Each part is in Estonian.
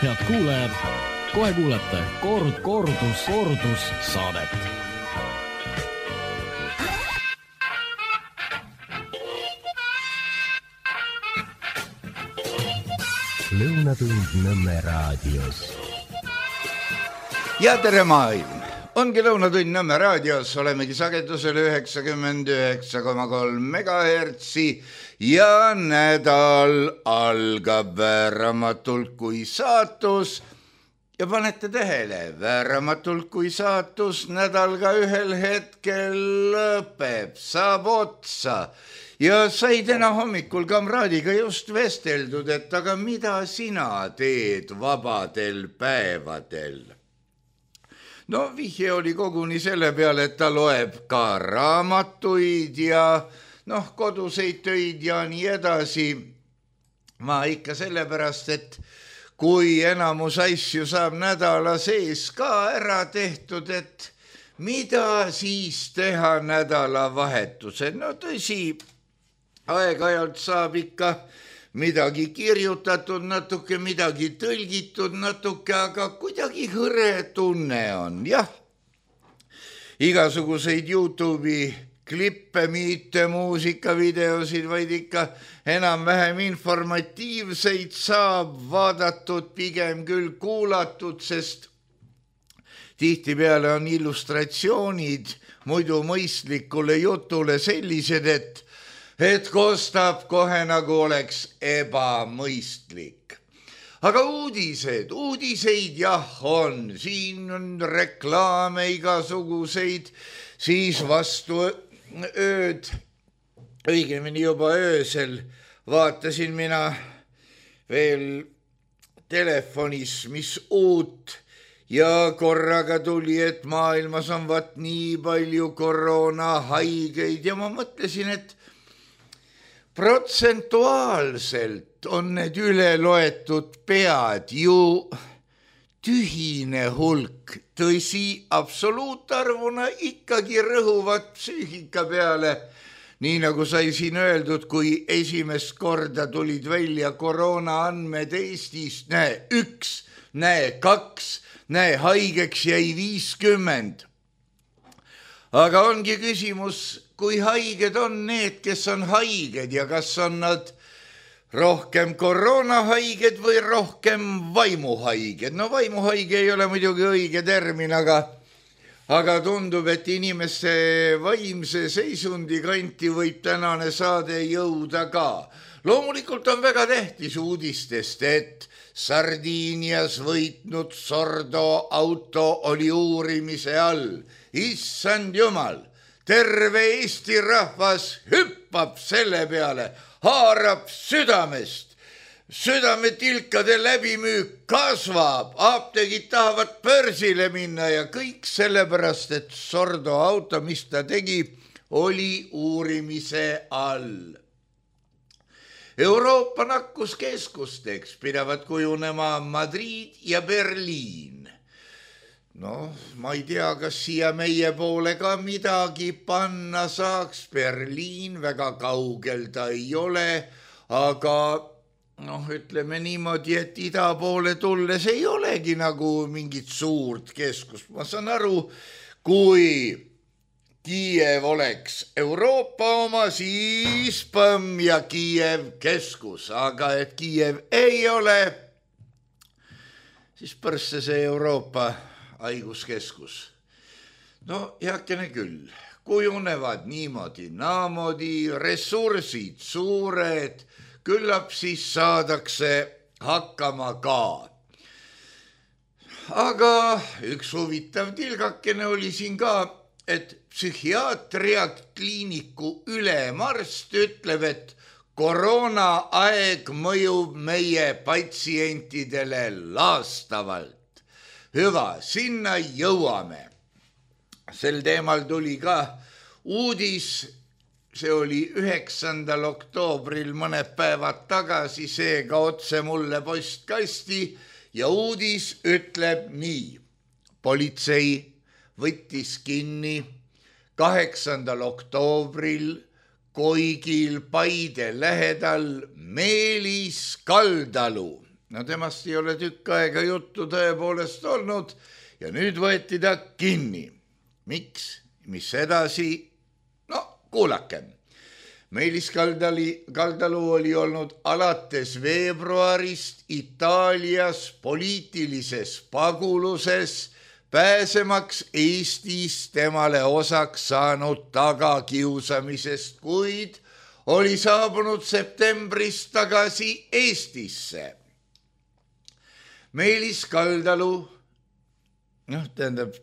Head kuulajad, kohe kuulete kordus saadet. Lõunatund Nõmme raadios. Ja tere maailm! Ongi Lõunatund Nõmme raadios, olemegi sagedusel 99,3 megahertsi ja nädal algab vääramatult kui saatus. Ja panete tähele, vääramatult kui saatus nädal ka ühel hetkel lõpeb, saab otsa. Ja sai täna hommikul kamraadiga just vesteldud, et aga mida sina teed vabadel päevadel? No vihje oli koguni selle peale, et ta loeb ka raamatuid ja koduseid töid ja nii edasi. Ma ikka sellepärast, et kui enamus asju saab nädala sees ka ära tehtud, et mida siis teha nädalavahetusel? No tõsi, aeg-ajalt saab ikka midagi kirjutatud, natuke midagi tõlgitud, natuke, aga kuidagi hõre tunne on, jah. Igasuguseid YouTube'i klippe, mitte muusikavideosid, vaid ikka enam-vähem informatiivseid saab vaadatud, pigem küll kuulatud, sest tihtipeale on illustratsioonid muidu mõistlikule jutule sellised, et kostab kohe nagu oleks ebamõistlik. Aga uudiseid jah on, siin on reklaame igasuguseid, siis vastu ööd, õigemini juba öösel vaatasin mina veel telefonis, mis uut ja korraga tuli, et maailmas on vaat nii palju koroonahaigeid ja ma mõtlesin, et protsentuaalselt on need üle loetud pead ju tühine hulk. Tõsi, absoluutarvuna ikkagi rõhuvad psüühika peale. Nii nagu sai siin öeldud, kui esimest korda tulid välja koroona andmed Eestis, näe 1, näe 2, näe haigeks jäi 50. Aga ongi küsimus, kui haiged on need, kes on haiged ja kas on nad rohkem koroonahaiged või rohkem vaimuhaiged. No vaimuhaige ei ole muidugi õige termin, aga tundub, et inimeste vaimse seisundi kanti võib tänane saade jõuda ka. Loomulikult on väga tähtis uudistest, et Sardiinias võitnud Sordo auto oli uurimise all. Issand jumal! Terve Eesti rahvas hüppab selle peale, haarab südamest. Südametilkade läbimüük kasvab, apteegid tahavad börsile minna ja kõik sellepärast, et Sordo auto, mis ta tegi, oli uurimise all. Euroopa nakkuskeskusteks pidavad kujunema Madrid ja Berliin. No, ma ei tea, kas siia meie poole ka midagi panna saaks. Berliin väga kaugel ta ei ole, aga ütleme niimoodi, et ida poole tulles ei olegi nagu mingit suurt keskust. Ma saan aru, kui Kiiev oleks Euroopa oma, siis Põmm ja Kiiev keskus, aga et Kiiev ei ole, siis pärsse see Euroopa haiguskeskus. No heakene küll, kujunevad niimoodi, naamoodi, ressursid suured, küllap siis saadakse hakkama ka. Aga üks huvitav tilgakene oli siin ka, et psühhiaatria kliiniku ülemarst ütleb, et koroonaaeg mõjub meie patsientidele laastavalt. Hüva, sinna jõuame. Sel teemal tuli ka uudis, see oli 9. oktoobril mõned päevad tagasi, seega otse mulle postkasti ja uudis ütleb nii. Politsei võttis kinni 8. oktoobril Koigil Paide lähedal Meelis Kaldalu No temast ei ole tükk aega juttu tõepoolest olnud ja nüüd võeti ta kinni. Miks? Mis edasi? No kuulakem. Meelis Kaldalu oli olnud alates veebruarist Itaalias poliitilises paguluses, pääsemaks Eestis temale osaks saanud tagakiusamisest, kuid oli saabunud septembris tagasi Eestisse. Meelis Kaldalu,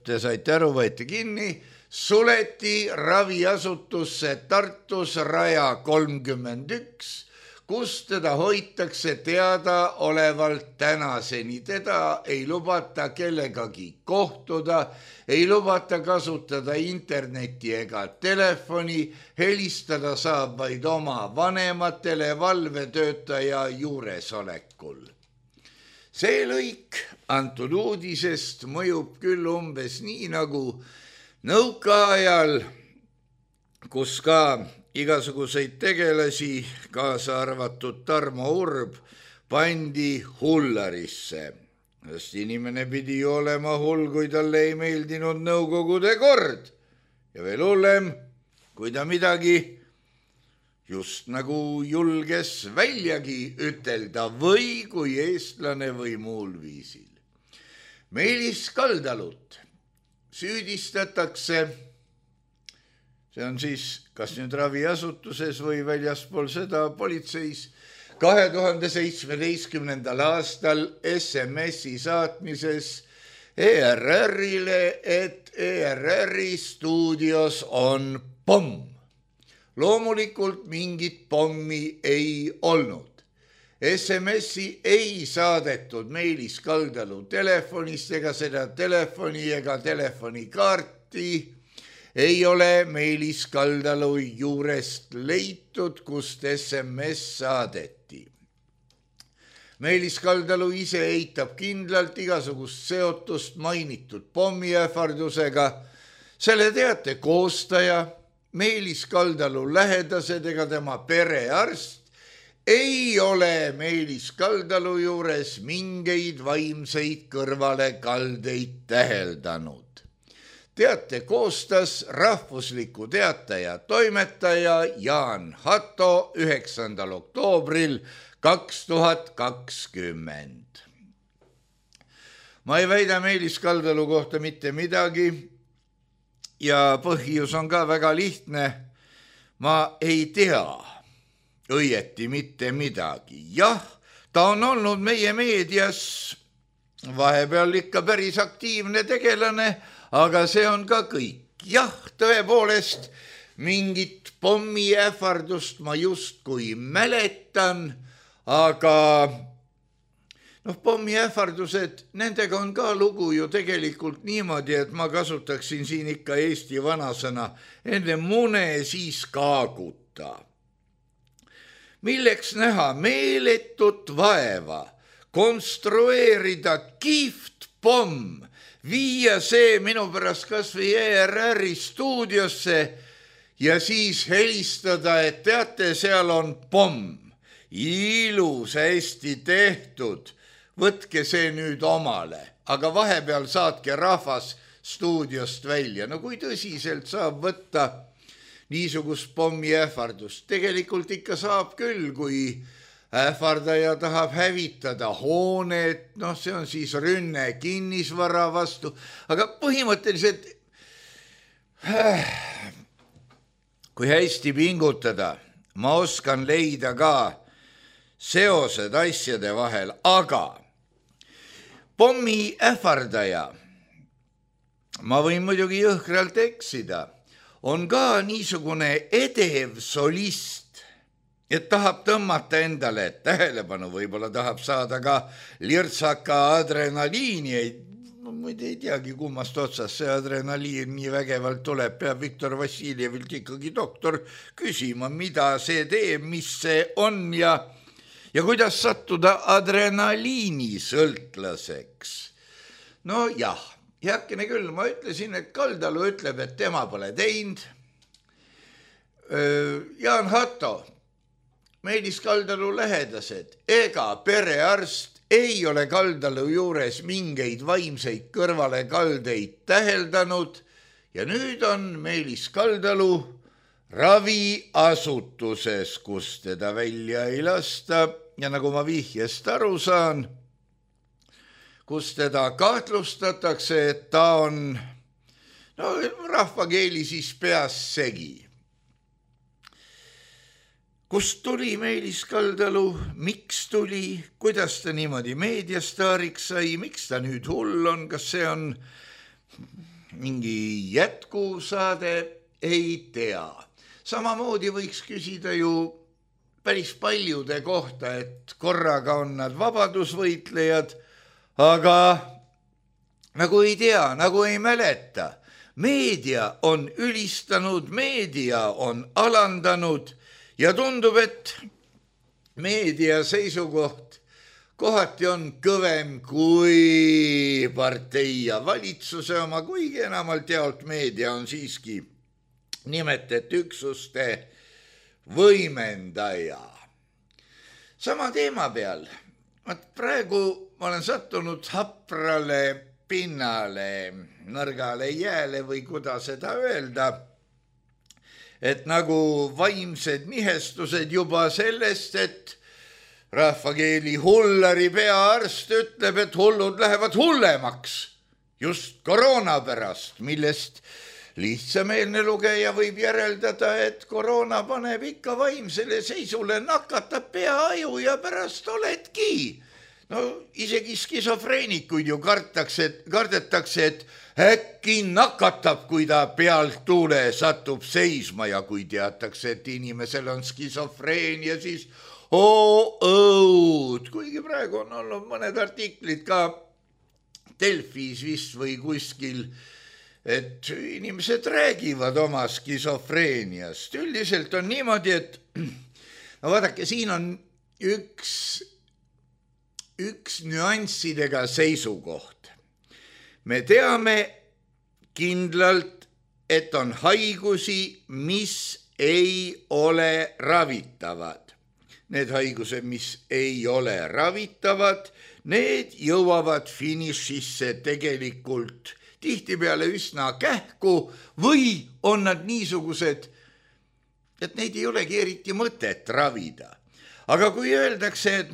te saite aru, võeti kinni, suleti raviasutusse Tartus Raja 31, kus teda hoitakse teadaolevalt tänaseni. Teda ei lubata kellegagi kohtuda, ei lubata kasutada interneti ega telefoni, helistada saab vaid oma vanematele valvetöötaja juuresolekul. See lõik antud uudisest mõjub küll umbes nii nagu nõukaajal, kus ka igasuguseid tegelasi, kaasa arvatud Tarmo Urb, pandi hullarisse. Sest inimene pidi olema hull, kui talle ei meeldinud nõukogude kord. Ja veel hullem, kui ta midagi just nagu julges väljagi ütelda või kui eestlane või muul viisil. Meelis Kaldalut süüdistatakse, see on siis kas nüüd raviasutuses või väljaspool seda politseis, 2017. aastal SMS-i saatmises ERR-ile, et ERR-i stuudios on pomm. Loomulikult mingit pommi ei olnud. SMS-i ei saadetud Meelis Kaldalu telefonist ega seda telefoni ega telefonikaarti ei ole Meelis Kaldalu juurest leitud, kust SMS saadeti. Meelis Kaldalu ise eitab kindlalt igasugust seotust mainitud pommiähvardusega. Selle teate koostaja, Meelis Kaldalu lähedased ega tema perearst ei ole Meelis Kaldalu juures mingeid vaimseid kõrvalekaldeid täheldanud. Teate koostas Rahvusliku Teataja toimetaja Jaan Hatto 9. oktoobril 2020. Ma ei väida Meelis Kaldalu kohta mitte midagi ja põhjus on ka väga lihtne. Ma ei tea õieti mitte midagi. Jah, ta on olnud meie meedias vahepeal ikka päris aktiivne tegelane, aga see on ka kõik. Jah, tõepoolest, mingit pommiähvardust ma justkui mäletan, aga pommiähvardused, nendega on ka lugu ju tegelikult niimoodi, et ma kasutaksin siin ikka eesti vanasõna, enne mune siis kaaguta. Milleks näha meeletut vaeva, konstrueerida kihvt pomm, viia see minu pärast kas või ERR-i stuudiosse ja siis helistada, et teate, seal on pomm. Ilus, hästi tehtud, võtke see nüüd omale, aga vahepeal saatke rahvas stuudiost välja. No kui tõsiselt saab võtta niisugust pommiähvardust? Tegelikult ikka saab küll, kui ähvardaja tahab hävitada hoonet, see on siis rünne kinnisvara vastu, aga põhimõtteliselt kui hästi pingutada, ma oskan leida ka seosed asjade vahel, aga pommi ähvardaja, ma võin muidugi jõhkralt eksida, on ka niisugune edev solist, et tahab tõmmata endale tähelepanu, võib-olla tahab saada ka lirtsaka adrenaliini, ma ei teagi, kummast otsast see adrenaliin nii vägevalt tuleb, peab Viktor Vassiljevilt ikkagi doktor küsima, mida see teeb, mis see on ja kuidas sattuda adrenaliini sõltlaseks. No jah, heakene küll, ma ütlesin, et Kaldalu ütleb, et tema pole teinud. Jaan Hatto, Meelis Kaldalu lähedased, ega perearst ei ole Kaldalu juures mingeid vaimseid kõrvalekaldeid täheldanud ja nüüd on Meelis Kaldalu raviasutuses, kus teda välja ei lasta ja nagu ma vihjest aru saan, kus teda kahtlustatakse, et ta on rahvakeeli siis peas segi. Kust tuli Meelis Kaldalu, miks tuli, kuidas ta niimoodi meediastaariks sai, miks ta nüüd hull on, kas see on mingi jätkusaade, ei tea. Samamoodi võiks küsida ju päris paljude kohta, et korraga on nad vabadusvõitlejad, aga nagu ei tea, nagu ei mäleta. Meedia on ülistanud, meedia on alandanud ja tundub, et meedia seisukoht kohati on kõvem kui partei ja valitsuse oma, kuigi enamalt jaolt meedia on siiski nimetet üksuste võimendaja. Sama teema peal, praegu ma olen sattunud haprale pinnale, nõrgale jääle või kuidas seda öelda, et nagu vaimsed nihestused juba sellest, et rahvakeeli hullari peaarst ütleb, et hullud lähevad hullemaks just koroona pärast, millest lihtsameelne lugeja võib järeldada, et koroona paneb ikka vaimsele seisule, nakatab peaaju ja pärast oledki. No isegi skisofreenikuid ju kardetakse, et äkki nakatab, kui ta pealt tuule satub seisma ja kui teatakse, et inimesel on skisofreenia, siis õud. Kuigi praegu on olnud mõned artiklid ka Delfis vist või kuskil, et inimesed räägivad oma skisofreeniast. Üldiselt on niimoodi, et vaadake, siin on üks nüanssidega seisukoht. Me teame kindlalt, et on haigusi, mis ei ole ravitavad. Need haigused, mis ei ole ravitavad, need jõuavad finišisse tegelikult tihtipeale üsna kähku või on nad niisugused, et neid ei olegi eriti mõtet ravida. Aga kui öeldakse, et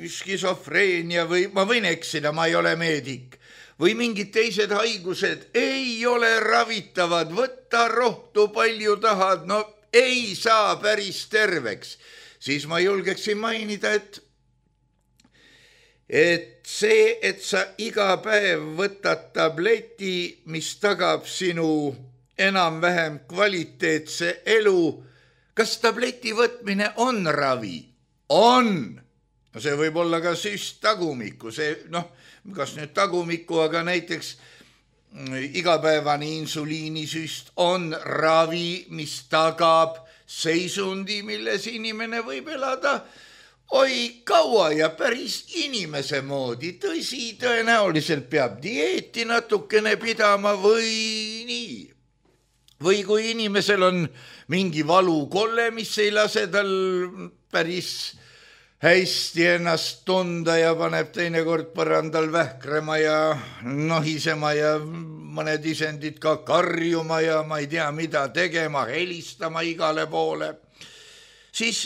skisofreenia või ma võin eksida, ma ei ole meedik, või mingid teised haigused ei ole ravitavad, võtta rohtu palju tahad, ei saa päris terveks, siis ma julgeksin mainida, et see, et sa iga päev võtad tableti, mis tagab sinu enam-vähem kvaliteetse elu, kas tableti võtmine on ravi? On. No see võib olla ka süst tagumikku, kas nüüd tagumikku, aga näiteks igapäevane insuliinisüst on ravi, mis tagab seisundi, milles inimene võib elada kaua ja päris inimese moodi. Tõsi, tõenäoliselt peab dieeti natukene pidama või nii. Või kui inimesel on mingi valukolle, mis ei lase tal päris hästi ennast tunda ja paneb teinekord põrandal vähkrema ja nohisema ja mõned isendid ka karjuma ja ma ei tea mida tegema, helistama igale poole, siis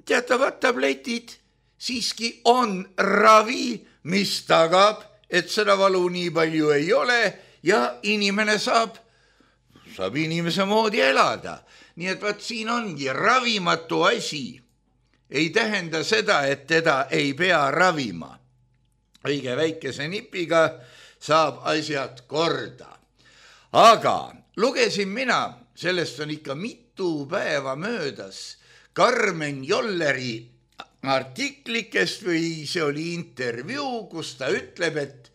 teatavad tabletid siiski on ravi, mis tagab, et seda valu nii palju ei ole ja inimene saab inimese moodi elada. Nii et vaat siin ongi ravimatu asi. Ei tähenda seda, et teda ei pea ravima. Õige väikese nipiga saab asjad korda. Aga lugesin mina, sellest on ikka mitu päeva möödas, Karmen Jolleri artiklikest või see oli intervjuu, kus ta ütleb, et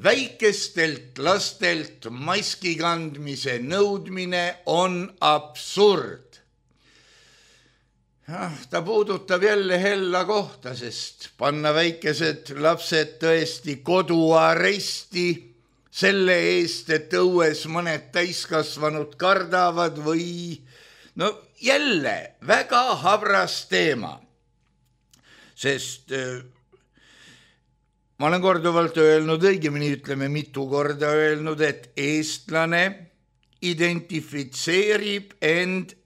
väikestelt lastelt maski kandmise nõudmine on absurd. Ta puudutab jälle hella kohta, sest panna väikesed lapsed tõesti koduaresti selle eest, et õues mõned täiskasvanud kardavad või jälle väga habras teema, sest ma olen korduvalt öelnud, õigemini ütleme mitu korda öelnud, et eestlane identifitseerib end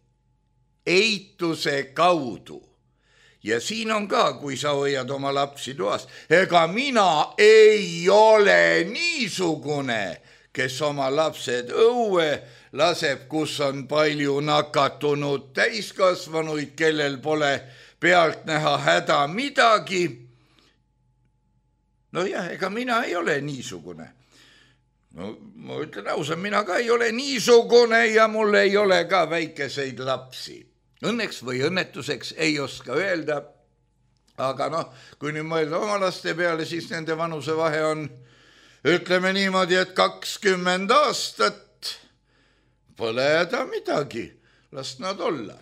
eituse kaudu. Ja siin on ka, kui sa hoiad oma lapsi toas, ega mina ei ole niisugune, kes oma lapsed õue laseb, kus on palju nakatunud täiskasvanuid, kellel pole pealt näha häda midagi. No jah, ega mina ei ole niisugune. No ma ütlen ausa, mina ka ei ole niisugune ja mul ei ole ka väikeseid lapsi. Õnneks või õnnetuseks ei oska öelda, aga kui nüüd mõelda oma laste peale, siis nende vanusevahe on, ütleme niimoodi, et 20 aastat pole häda midagi, las nad olla.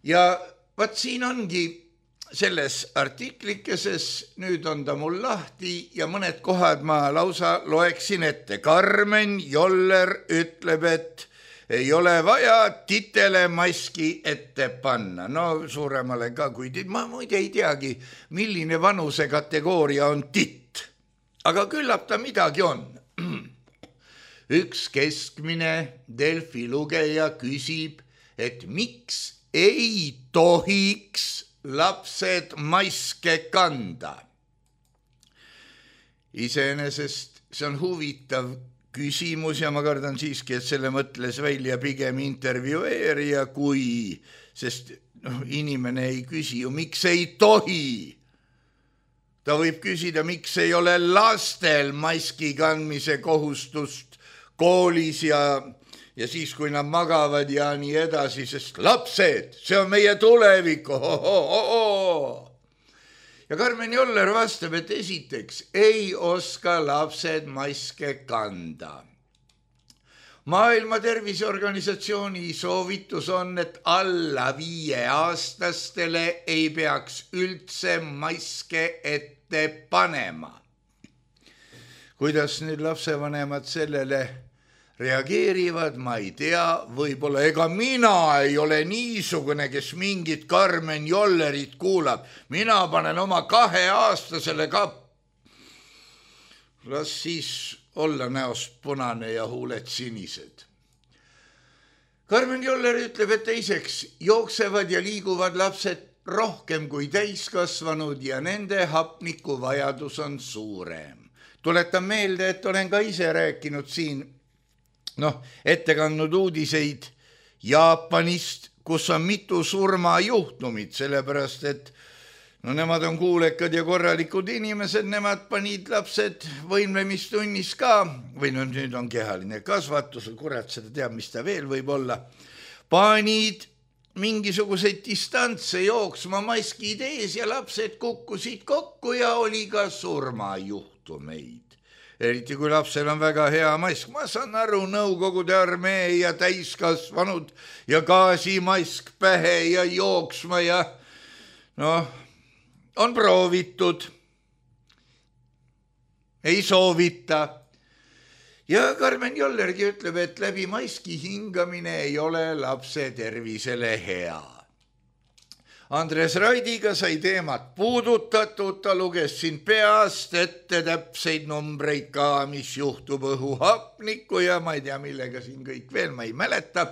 Ja vaat siin ongi selles artiklikeses, nüüd on ta mul lahti ja mõned kohad ma lausa loeksin ette. Karmen Joller ütleb, et ei ole vaja titele maski ette panna. No suuremale ka kui ma muide ei teagi, milline vanuse kategooria on titt. Aga küllap ta midagi on. Üks keskmine Delfi lugeja küsib, et miks ei tohiks lapsed maske kanda. Iseenesest see on huvitav küsimus ja ma kardan siiski, et selle mõtles välja pigem intervjueerija sest inimene ei küsi ju, miks ei tohi. Ta võib küsida, miks ei ole lastel maski kandmise kohustust koolis ja siis, kui nad magavad ja nii edasi, sest lapsed, see on meie tulevik. Ja Karmen Joller vastab, et esiteks ei oska lapsed maske kanda. Maailma Terviseorganisatsiooni soovitus on, et alla 5-aastastele ei peaks üldse maske ette panema. Kuidas nüüd lapsevanemad sellele reageerivad, ma ei tea, võib-olla ega mina ei ole niisugune, kes mingit Karmen Jollerit kuulab. Mina panen oma 2-aastasele ka. Las siis olla näost punane ja huuled sinised. Karmen Joller ütleb, et teiseks jooksevad ja liiguvad lapsed rohkem kui täiskasvanud ja nende hapnikuvajadus on suurem. Tuletan meelde, et olen ka ise rääkinud siin ette kandnud uudiseid Jaapanist, kus on mitu surmajuhtumit, sellepärast et nemad on kuulekad ja korralikud inimesed, nemad panid lapsed võimlemistunnis ka, või nüüd on kehaline kasvatus, kurat seda teab, mis ta veel võib olla, panid mingisuguseid distantse jooksma maskid ees ja lapsed kukkusid kokku ja oli ka surmajuhtumeid. Eriti kui lapsel on väga hea mask. Ma saan aru, Nõukogude armee ja täiskasvanud ja gaasimask pähe ja jooksma ja on proovitud. Ei soovita. Ja Karmen Jollergi ütleb, et läbi maski hingamine ei ole lapse tervisele hea. Andres Raidiga sai teemat puudutatud, ta luges siin peast ette täpseid numbreid ka, mis juhtub õhuhapniku ja ma ei tea, millega siin kõik veel, ma ei mäleta,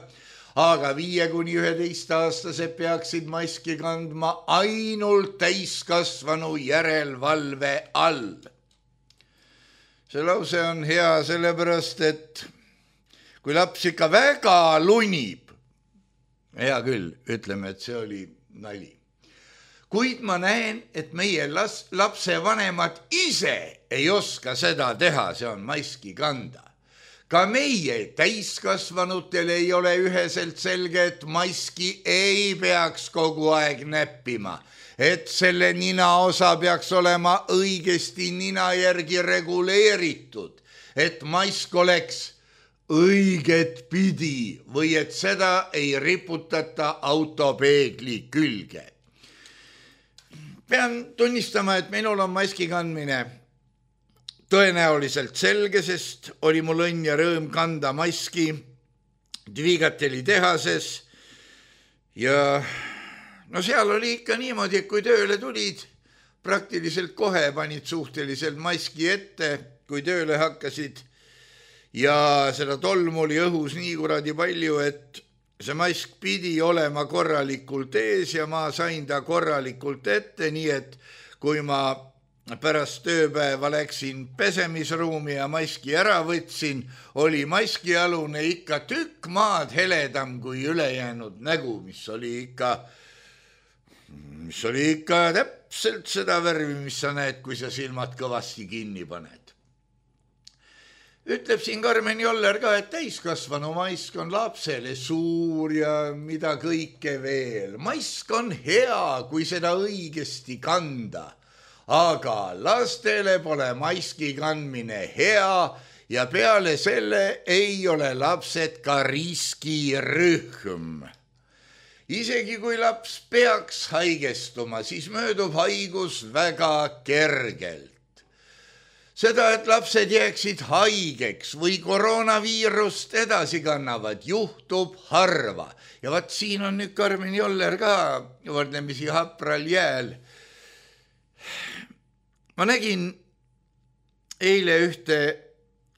aga 5–11-aastased peaksid maski kandma ainult täiskasvanu järelevalve all. See lause on hea sellepärast, et kui laps ikka väga lunib, hea küll, ütleme, et see oli nali. Kuid ma näen, et meie lapsevanemad ise ei oska seda teha, see on maski kanda. Ka meie täiskasvanutel ei ole üheselt selge, et maski ei peaks kogu aeg näppima. Et selle ninaosa peaks olema õigesti nina järgi reguleeritud. Et mask oleks õiget pidi või et seda ei riputata autopeegli külge. Pean tunnistama, et minul on maski kandmine tõenäoliselt selge, sest oli mul õnn ja rõõm kanda maski Dvigateli tehases ja seal oli ikka niimoodi, et kui tööle tulid, praktiliselt kohe panid suhteliselt maski ette, kui tööle hakkasid ja seda tolmu oli õhus nii kuradi palju, et see mask pidi olema korralikult ees ja ma sain ta korralikult ette, nii et kui ma pärast tööpäeva läksin pesemisruumi ja maski ära võtsin, oli maskialune ikka tükk maad heledam kui ülejäänud nägu, mis oli ikka täpselt seda värvi, mis sa näed, kui sa silmad kõvasti kinni paned. Ütleb siin Karmen Joller ka, et täiskasvanu mask on lapsele suur ja mida kõike veel. Mask on hea, kui seda õigesti kanda, aga lastele pole maski kandmine hea ja peale selle ei ole lapsed ka riskirühm. Isegi kui laps peaks haigestuma, siis möödub haigus väga kergelt. Seda, et lapsed jääksid haigeks või koroonaviirust edasi kannavad, juhtub harva. Ja vaat siin on nüüd Karmen Joller ka võrdlemisi hapral jääl. Ma nägin eile ühte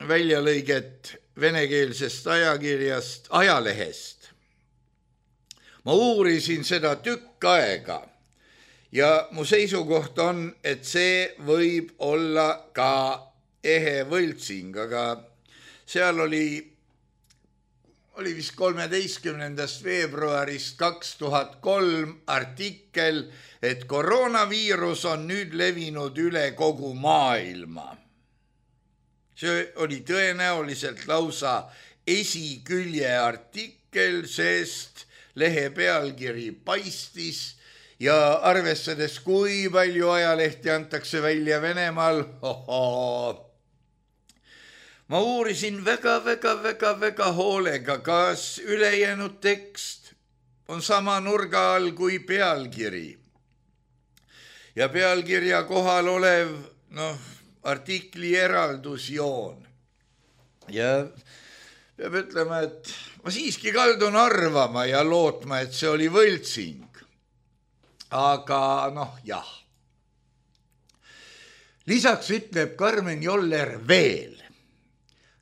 väljalõiget venekeelsest ajakirjast, ajalehest. Ma uurisin seda tükk aega. Ja mu seisukoht on, et see võib olla ka ehe võltsing, aga seal oli vist 13. veebruarist 2003 artikkel, et koroonaviirus on nüüd levinud üle kogu maailma. See oli tõenäoliselt lausa esikülje artikkel, sest lehe pealkiri paistis ja arvestades, kui palju ajalehti antakse välja Venemaal, ma uurisin väga hoolega, kas ülejäänud tekst on sama nurga all kui pealkiri. Ja pealkirja kohal olev, artikli eraldusjoon. Ja peab ütlema, et ma siiski kaldun arvama ja lootma, et see oli võltsing. Aga jah. Lisaks ütleb Karmen Joller veel.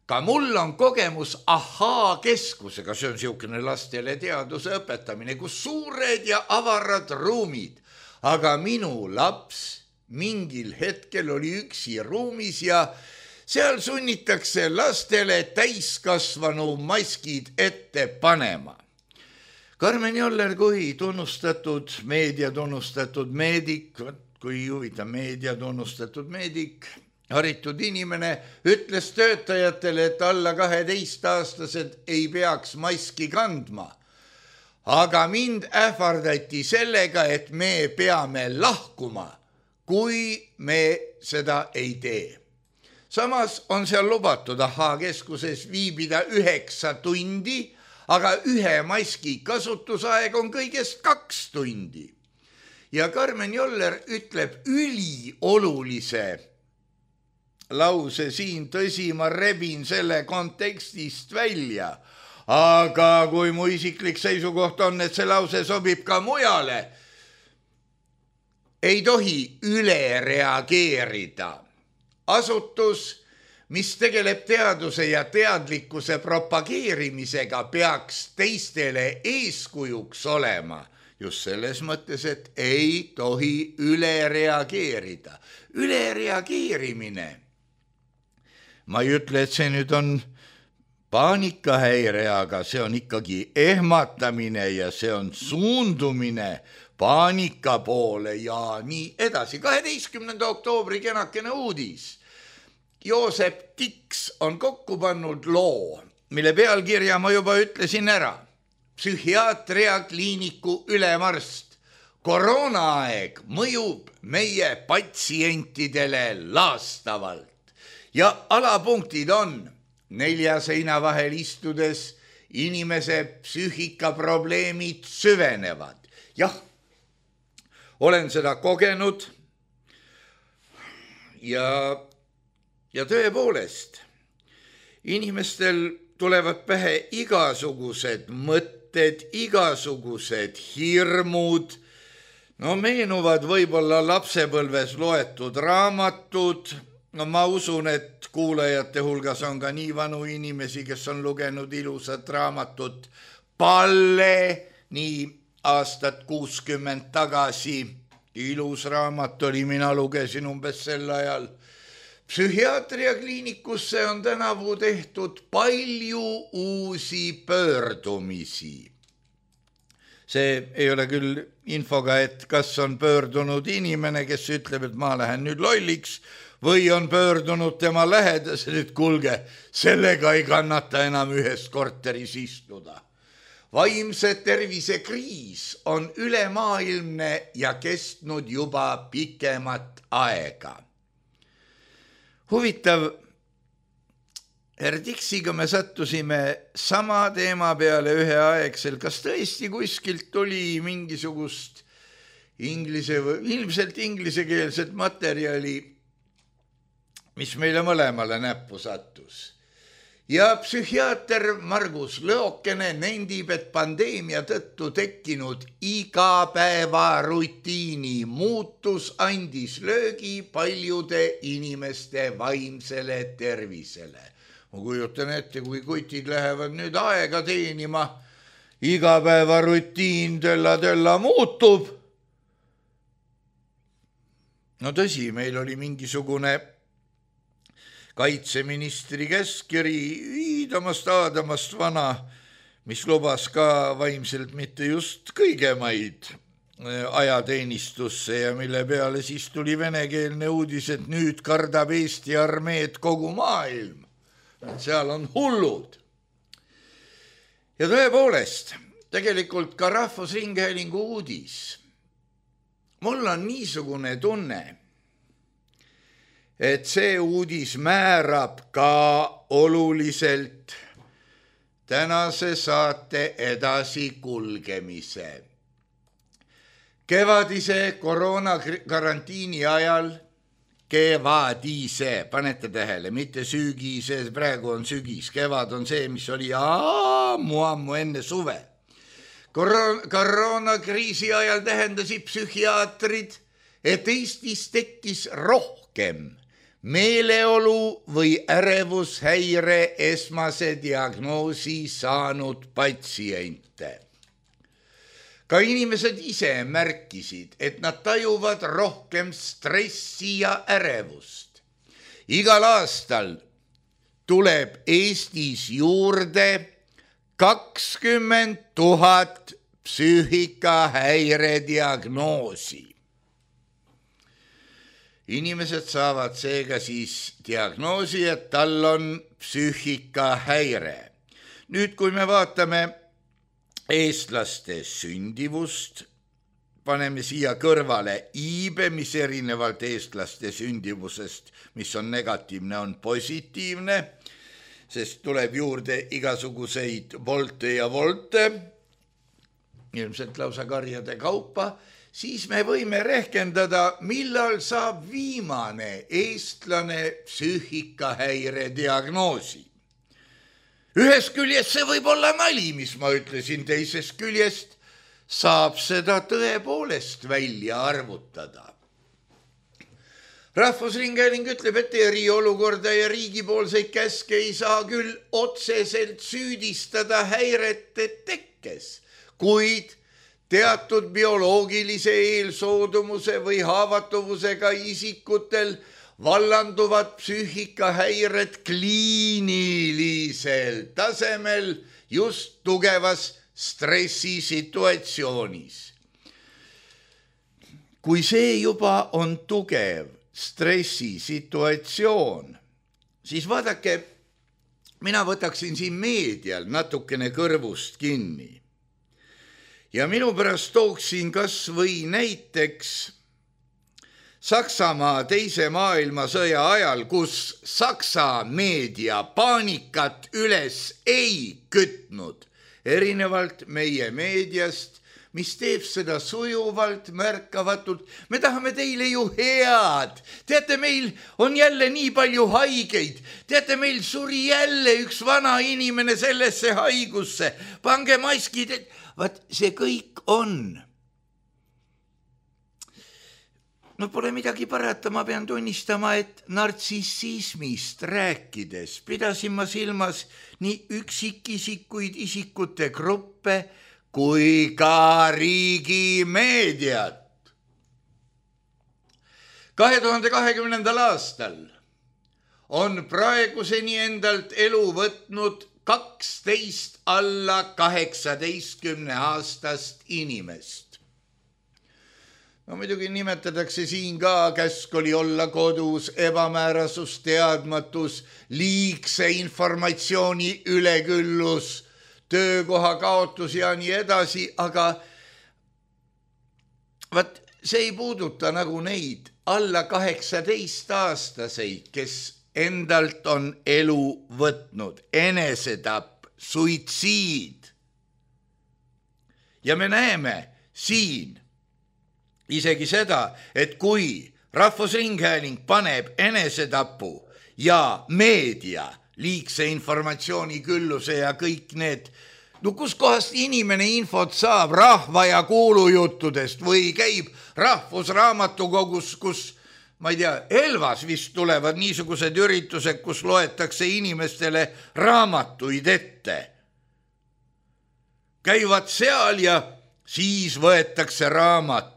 Ka mul on kogemus Ahhaa-keskusega, see on siukene lastele teaduse õpetamine, kus suured ja avarad ruumid. Aga minu laps mingil hetkel oli üksi ruumis ja seal sunnitakse lastele täiskasvanu maskid ette panema. Karmen Joller kui meedia tunnustatud meedik, kui huvitav meedia tunnustatud meedik, haritud inimene, ütles töötajatele, et alla 12-aastased ei peaks maski kandma. Aga mind ähvardati sellega, et me peame lahkuma, kui me seda ei tee. Samas on seal lubatud Ahhaa-keskuses viibida 9 tundi, aga ühe maski kasutusaeg on kõigest 2 tundi. Ja Karmen Joller ütleb üliolulise lause siin, tõsi, ma rebin selle kontekstist välja, aga kui mu isiklik seisukoht on, et see lause sobib ka mujale, ei tohi üle reageerida. Asutus, mis tegeleb teaduse ja teadlikkuse propageerimisega, peaks teistele eeskujuks olema. Just selles mõttes, et ei tohi üle reageerida. Üle reageerimine. Ma ei ütle, et see nüüd on paanikahäire, aga see on ikkagi ehmatamine ja see on suundumine paanika poole ja nii edasi. 12. oktoobri kenakene uudis. Joosep Tiks on kokku pannud loo, mille pealkirja ma juba ütlesin ära. Psühhiaatria kliiniku ülemarst. Koroonaaeg mõjub meie patsientidele laastavalt. Ja alapunktid on 4 seina vahel istudes inimese psüühikaprobleemid süvenevad. Jah, olen seda kogenud ja tõepoolest, inimestel tulevad pähe igasugused mõtted, igasugused hirmud, No meenuvad võib-olla lapsepõlves loetud raamatud. No ma usun, et kuulajate hulgas on ka nii vanu inimesi, kes on lugenud ilusat raamatut Palle, nii aastat 60 tagasi. Ilus raamat oli, mina lugesin umbes sel ajal. Psühhiaatriakliinikusse on tänavu tehtud palju uusi pöördumisi. See ei ole küll infoga, et kas on pöördunud inimene, kes ütleb, et ma lähen nüüd lolliks, või on pöördunud tema lähedased, et kuulge, sellega ei kannata enam ühes korteris istuda. Vaimse tervise kriis on ülemaailmne ja kestnud juba pikemat aega. Huvitav, Dixiga me sattusime sama teema peale üheaegsel. Kas tõesti kuskilt tuli mingisugust ilmselt inglisekeelset materjali, mis meile mõlemale näppu sattus. Ja psühhiaater Margus Lõokene nendib, et pandeemia tõttu tekkinud igapäeva rutiini muutus andis löögi paljude inimeste vaimsele tervisele. Ma kujutan ette, kui kutid lähevad nüüd aega teenima, igapäeva rutiin tölla muutub. No tõsi, meil oli mingisugune kaitseministri käskkiri Aadamast vana, mis lubas ka vaimselt mitte just kõigemaid ajateenistusse ja mille peale siis tuli venekeelne uudis, et nüüd kardab Eesti armeed kogu maailm. Seal on hullud. Ja tõepoolest, tegelikult ka Rahvusringhäälingu uudis. Mul on niisugune tunne, et see uudis määrab ka oluliselt tänase saate edasi kulgemise. Kevadise koroonakarantiini ajal, kevadise, panete tähele, mitte sügise, praegu on sügis, kevad on see, mis oli ammu enne suve. Koroonakriisi ajal tähendasid psühhiaatrid, et Eestis tekkis rohkem meeleolu või ärevushäire esmase diagnoosi saanud patsiente. Ka inimesed ise märkisid, et nad tajuvad rohkem stressi ja ärevust. Igal aastal tuleb Eestis juurde 20 000 psüühikahäire diagnoosi. Inimesed saavad seega siis diagnoosi, et tal on psüühikahäire. Nüüd, kui me vaatame eestlaste sündivust, paneme siia kõrvale iibe, mis erinevalt eestlaste sündivusest, mis on negatiivne, on positiivne, sest tuleb juurde igasuguseid volte ja volte, ilmselt lausa karjade kaupa, siis me võime rehkendada, millal saab viimane eestlane psüühikahäire diagnoosi. Ühest küljest see võib olla nali, mis ma ütlesin, teisest küljest saab seda tõepoolest välja arvutada. Rahvusringhääling ütleb, et eriolukorda ja riigipoolseid käske ei saa küll otseselt süüdistada häirete tekkes, kuid teatud bioloogilise eelsoodumuse või haavatuvusega isikutel vallanduvad psüühikahäired kliinilisel tasemel just tugevas stressisituatsioonis. Kui see juba on tugev stressisituatsioon, siis vaadake, mina võtaksin siin meedial natukene kõrvust kinni. Ja minu pärast tooksin kas või näiteks Saksamaa teise maailmasõja ajal, kus Saksa meedia paanikat üles ei kütnud, erinevalt meie meediast, mis teeb seda sujuvalt, märkavatult. Me tahame teile ju head. Teate, meil on jälle nii palju haigeid. Teate, meil suri jälle üks vana inimene sellesse haigusse. Pange maskid, vaat see kõik on no pole midagi parata, ma pean tunnistama, et nartsissismist rääkides pidasin ma silmas nii üksikisikuid isikute gruppe kui ka riigimeediat. 2020. aastal on praeguseni endalt elu võtnud 12 alla 18-aastast inimest. No muidugi nimetatakse siin ka käsk oli olla kodus, ebamäärasus, teadmatus, liigse informatsiooni üleküllus, töökoha kaotus ja nii edasi, aga vaat see ei puuduta nagu neid alla 18-aastaseid, kes endalt on elu võtnud, enesetapp, suitsiid. Ja me näeme siin isegi seda, et kui Rahvusringhääling paneb enesetapu ja meedia liigse informatsiooni külluse ja kõik need, no kus kohast inimene infot saab rahva ja kuulujuttudest või käib rahvusraamatukogus, kus, ma ei tea, Elvas vist tulevad niisugused üritused, kus loetakse inimestele raamatuid ette. Käivad seal ja siis võetakse raamat.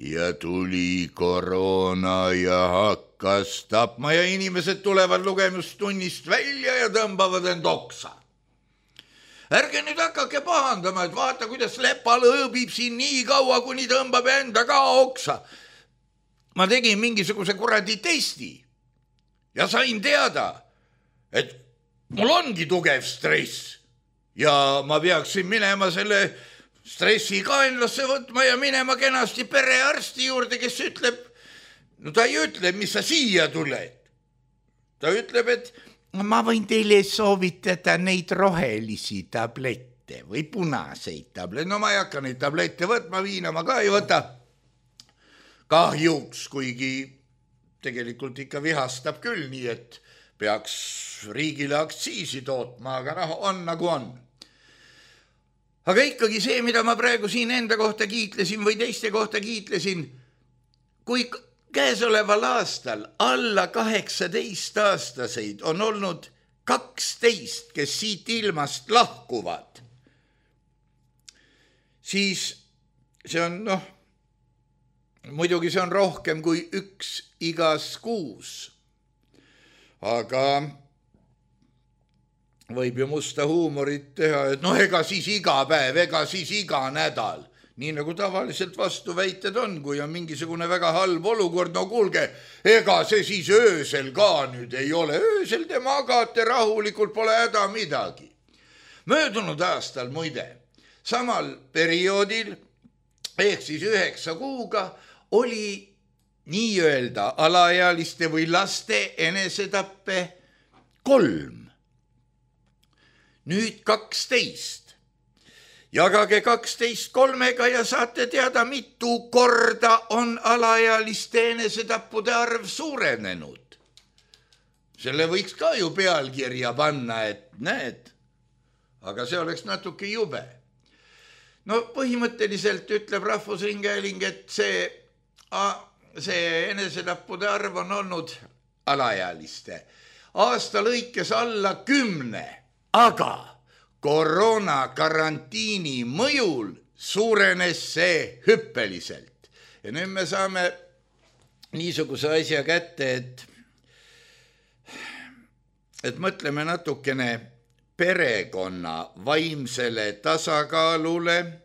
Ja tuli koroona ja hakkas tapma ja inimesed tulevad lugemustunnist välja ja tõmbavad end oksa. Ärge nüüd hakake pahandama, et vaata, kuidas Lepal õõbib siin nii kaua, kuni tõmbab enda ka oksa. Ma tegin mingisuguse kuradi testi ja sain teada, et mul ongi tugev stress ja ma peaksin minema selle stressi kaenlasse võtma ja minema kenasti perearsti juurde, kes ütleb, no ta ei ütle, mis sa siia tuled. Ta ütleb, et ma võin teile soovitada neid rohelisi tablette või punaseid tablette. No ma ei hakka neid tablette võtma, viina ma ka ei võta. Kahjuks, kuigi tegelikult ikka vihastab küll nii, et peaks riigile aktsiisi tootma, aga on nagu on. Aga ikkagi see, mida ma praegu siin enda kohta kiitlesin või teiste kohta kiitlesin, kui käesoleval aastal alla 18-aastaseid on olnud 12, kes siit ilmast lahkuvad, siis see on, muidugi see on rohkem kui 1 igas kuus, aga võib ju musta huumorit teha, et ega siis iga päev, ega siis iga nädal. Nii nagu tavaliselt vastuväited on, kui on mingisugune väga halb olukord, no kuulge, ega see siis öösel ka nüüd ei ole. Öösel te magate rahulikult, pole häda midagi. Möödunud aastal muide, samal perioodil, ehk siis 9 kuuga, oli nii-öelda alaealiste või laste enesetappe 3. Nüüd 12. Jagage 12 3-ga ja saate teada, mitu korda on alaealiste enesetappude arv suurenenud. Selle võiks ka ju pealkirja panna, et näed, aga see oleks natuke jube. No põhimõtteliselt ütleb Rahvusringhääling, et see enesetappude arv on olnud alaealiste aasta lõikes alla 10. Aga koroona karantiini mõjul suurenes see hüppeliselt. Ja nüüd me saame niisuguse asja kätte, et mõtleme natukene perekonna vaimsele tasakaalule,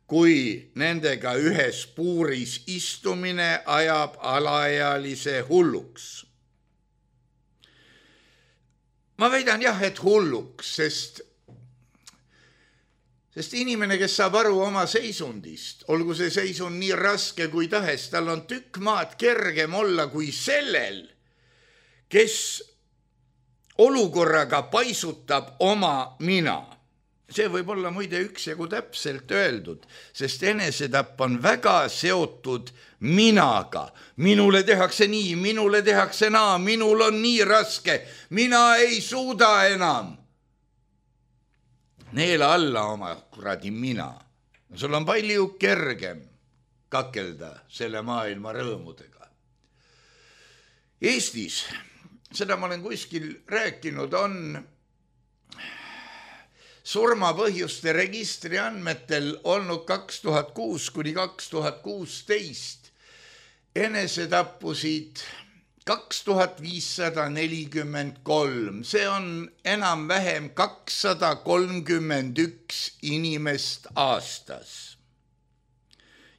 kui nendega ühes puuris istumine ajab alaealise hulluks. Ma väidan jah, et hulluks, sest inimene, kes saab aru oma seisundist, olgu see seisund nii raske kui tahes, tal on tükk maad kergem olla kui sellel, kes olukorraga paisutab oma mina. See võib olla muide üksjagu täpselt öeldud, sest enesetapp on väga seotud minaga. Minule tehakse nii, minule tehakse naa, minul on nii raske, mina ei suuda enam. Neela alla oma kuradi mina. Sul on palju kergem kakelda selle maailma rõõmudega. Eestis, seda ma olen kuskil rääkinud, on surmapõhjuste registri andmetel olnud 2006 kuni 2016 enesetappusid 2543. See on enam-vähem 231 inimest aastas.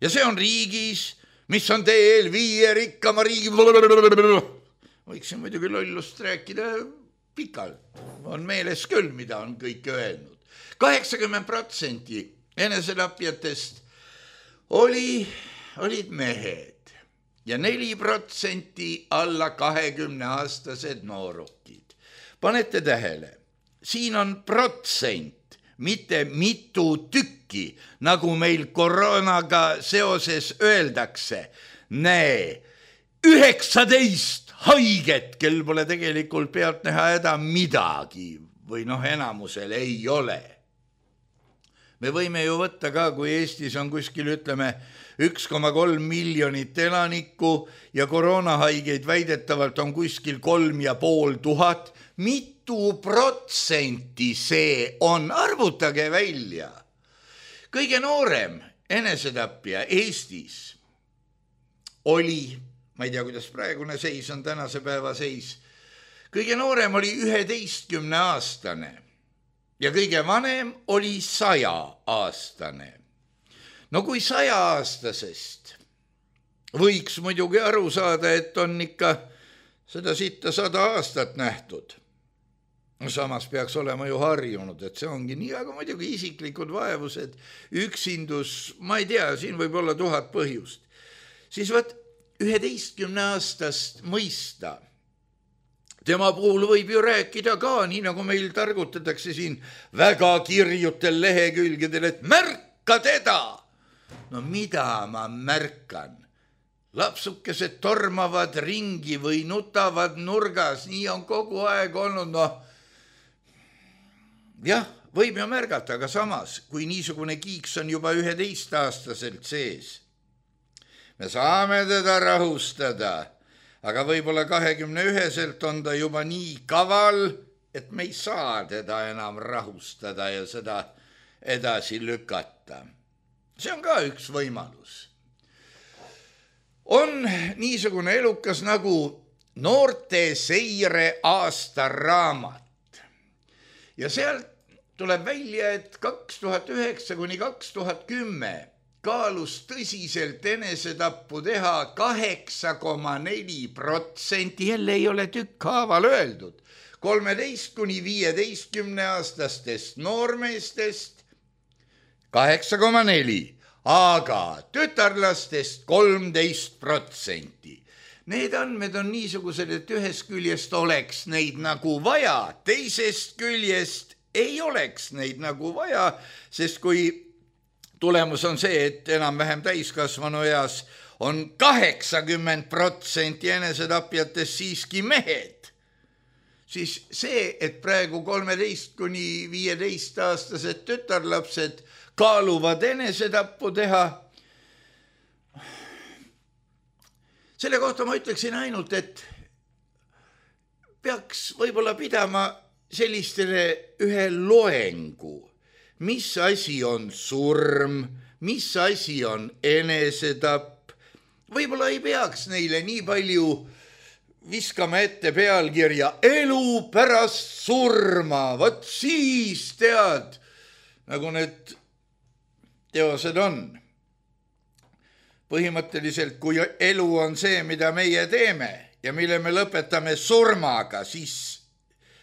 Ja see on riigis, mis on teel 5 rikkama riigi... Võiksin muidugi lollust rääkida pikalt. On meeles küll, mida on kõik öelnud. 80% enesetapjatest olid mehed ja 4% alla 20-aastased noorukid. Panete tähele, siin on protsent, mitte mitu tükki, nagu meil koroonaga seoses öeldakse. Näe, 19 haiget, kel pole tegelikult pealt näha häda midagi või enamusel ei ole. Me võime ju võtta ka, kui Eestis on kuskil, ütleme, 1,3 miljonit elanikku ja koroonahaigeid väidetavalt on kuskil 3500. Mitu protsenti see on? Arvutage välja. Kõige noorem enesetapja Eestis oli, ma ei tea, kuidas praegune seis on, tänase päeva seis, kõige noorem oli 11-aastane ja kõige vanem oli 100-aastane. No kui 100-aastasest võiks muidugi aru saada, et on ikka seda sitta 100 aastat nähtud. Samas peaks olema ju harjunud, et see ongi nii, aga muidugi isiklikud vaevused, üksindus, ma ei tea, siin võib olla 1000 põhjust. Siis 11-aastast mõista. Tema puhul võib ju rääkida ka, nii nagu meil targutatakse siin väga kirjutel lehekülgedel, et märka teda. No mida ma märkan? Lapsukesed tormavad ringi või nutavad nurgas, nii on kogu aeg olnud. Jah, võib ju märgata, aga samas, kui niisugune kiiks on juba 11-aastaselt sees, me saame teda rahustada, aga võib-olla 21-selt on ta juba nii kaval, et me ei saa teda enam rahustada ja seda edasi lükata. See on ka üks võimalus. On niisugune elukas nagu noorte seire aastaraamat. Ja sealt tuleb välja, et 2009 kuni 2010 kaalus tõsiselt enesetappu teha 8,4%, jälle ei ole tükkhaaval öeldud, 13 kuni 15-aastastest noormeestest 8,4%, aga tütarlastest 13%. Need andmed on niisugused, et ühest küljest oleks neid nagu vaja, teisest küljest ei oleks neid nagu vaja, sest kui tulemus on see, et enam-vähem täiskasvanu eas on 80% enesetapjatest siiski mehed, siis see, et praegu 13 kuni 15-aastased tütarlapsed kaaluvad enesetappu teha, selle kohta ma ütleksin ainult, et peaks võib-olla pidama sellistele ühe loengu, mis asi on surm, mis asi on enesetapp. Võib-olla ei peaks neile nii palju viskama ette pealkirja elu pärast surma, vot siis tead, nagu need teosed on. Põhimõtteliselt, kui elu on see, mida meie teeme ja mille me lõpetame surmaga, siis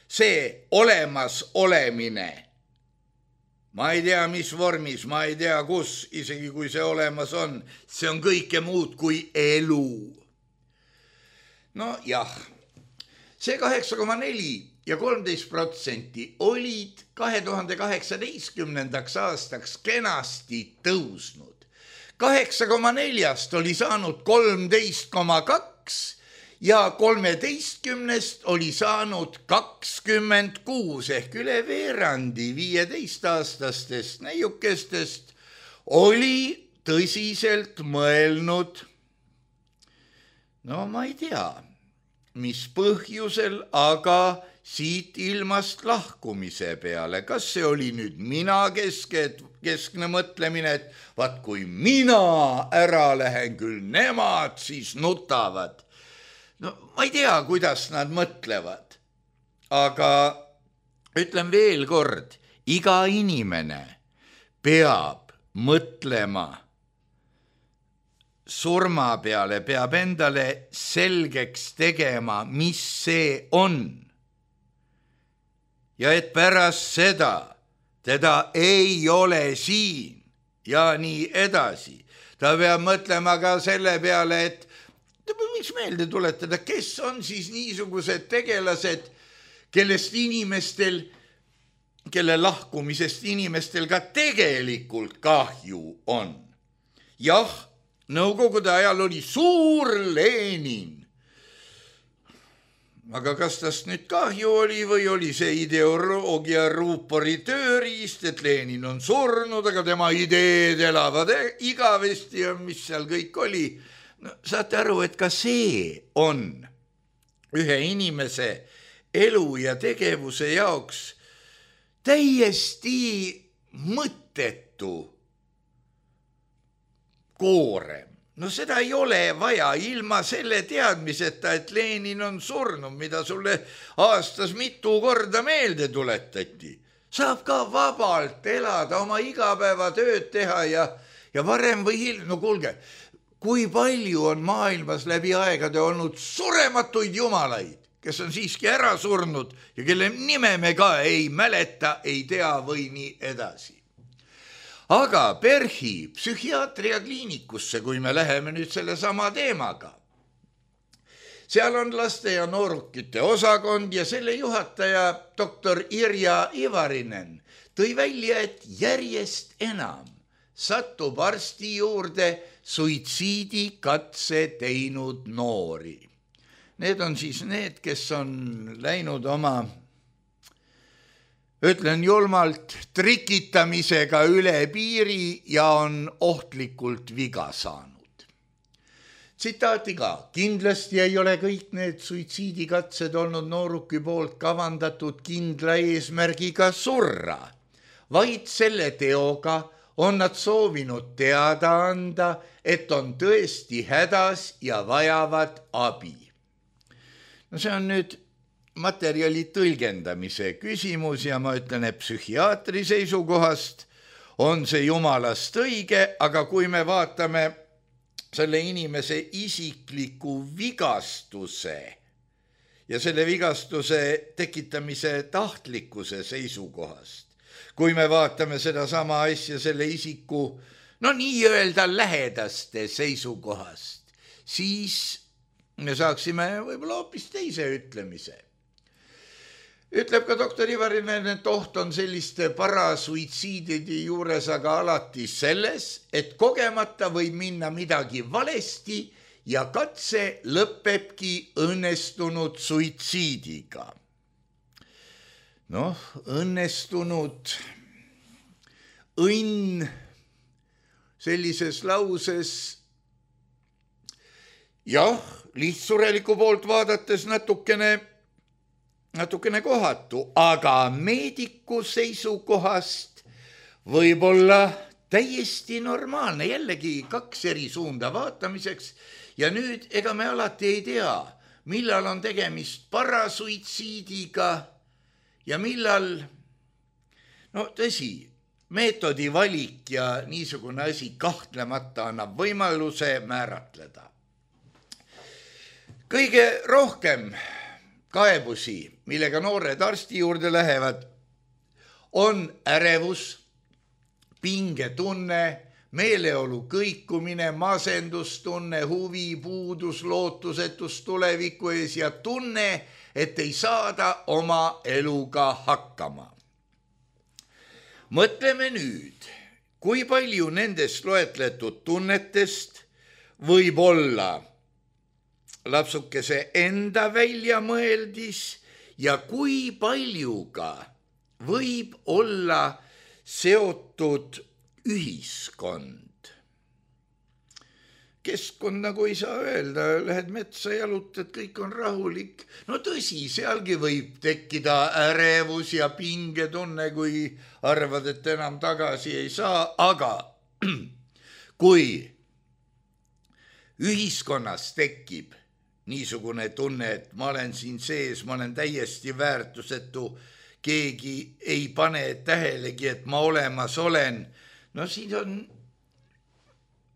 see olemas olemine, ma ei tea, mis vormis, ma ei tea, kus, isegi kui see olemas on, see on kõike muud kui elu. No jah, see 8,4% ja 13% olid 2018. aastaks kenasti tõusnud. 8,4% oli saanud 13,2% ja 13% oli saanud 26% ehk üle veerandi 15-aastastest neiukestest oli tõsiselt mõelnud, no ma ei tea, mis põhjusel, aga siit ilmast lahkumise peale. Kas see oli nüüd keskne mõtlemine, et vaat kui mina ära lähen, küll nemad siis nutavad. No ma ei tea, kuidas nad mõtlevad, aga ütlen veel kord, iga inimene peab mõtlema surma peale, peab endale selgeks tegema, mis see on. Ja et pärast seda teda ei ole siin ja nii edasi. Ta peab mõtlema ka selle peale, et miks meelde tuletada, kes on siis niisugused tegelased, kelle lahkumisest inimestel ka tegelikult kahju on. Jah, Nõukogude ajal oli suur Lenin. Aga kas tast nüüd kahju oli või oli see ideoloogia ruupori tööriist, et Lenin on surnud, aga tema ideed elavad igavesti ja mis seal kõik oli. No, saate aru, et ka see on ühe inimese elu ja tegevuse jaoks täiesti mõttetu koorem. No seda ei ole vaja ilma selle teadmiseta, et Lenin on surnud, mida sulle aastas mitu korda meelde tuletati. Saab ka vabalt elada, oma igapäevatööd teha ja varem või hiljem. No kuulge, kui palju on maailmas läbi aegade olnud surematuid jumalaid, kes on siiski ära surnud ja kelle nime me ka ei mäleta, ei tea või nii edasi. Aga PERH-i psühhiaatria kliinikusse, kui me läheme nüüd selle sama teemaga, seal on laste ja noorukite osakond ja selle juhataja doktor Irja Ivarinen tõi välja, et järjest enam satub arsti juurde suitsiidikatse teinud noori. Need on siis need, kes on läinud oma, ütlen julmalt, trikitamisega üle piiri ja on ohtlikult viga saanud. Tsitaati ka, kindlasti ei ole kõik need suitsiidikatsed olnud nooruki poolt kavandatud kindla eesmärgiga surra, vaid selle teoga on nad soovinud teada anda, et on tõesti hädas ja vajavad abi. No see on nüüd materjali tõlgendamise küsimus ja ma ütlen, et psühhiaatri seisukohast on see jumalast õige, aga kui me vaatame selle inimese isikliku vigastuse ja selle vigastuse tekitamise tahtlikkuse seisukohast, kui me vaatame seda sama asja selle isiku, no nii-öelda lähedaste seisukohast, siis me saaksime võib-olla hoopis teise ütlemise. Ütleb ka doktor Ivarinen, et oht on selliste parasuitsiidide juures aga alati selles, et kogemata võib minna midagi valesti ja katse lõpebki õnnestunud suitsiidiga. Noh, õnnestunud õnn sellises lauses, jah, lihtsureliku poolt vaadates natukene kohatu, aga meediku seisukohast võib-olla täiesti normaalne, jällegi kaks eri suunda vaatamiseks ja nüüd ega me alati ei tea, millal on tegemist parasuitsiidiga ja millal, no tõsi, meetodi valik ja niisugune asi kahtlemata annab võimaluse määratleda. Kõige rohkem kaebusi, millega noored arsti juurde lähevad, on ärevus, pingetunne, meeleolu kõikumine, masendustunne, huvi, puudus, lootusetus tuleviku ees ja tunne, et ei saada oma eluga hakkama. Mõtleme nüüd, kui palju nendest loetletud tunnetest võib olla lapsukese enda väljamõeldis ja kui paljuga võib olla seotud ühiskond. keskkond nagu ei saa öelda, lähed metsa, jalutad, kõik on rahulik. No tõsi, sealgi võib tekkida ärevus ja pingetunne, kui arvad, et enam tagasi ei saa, aga kui ühiskonnas tekib niisugune tunne, et ma olen siin sees, ma olen täiesti väärtusetu, keegi ei pane tähelegi, et ma olemas olen. No siin on,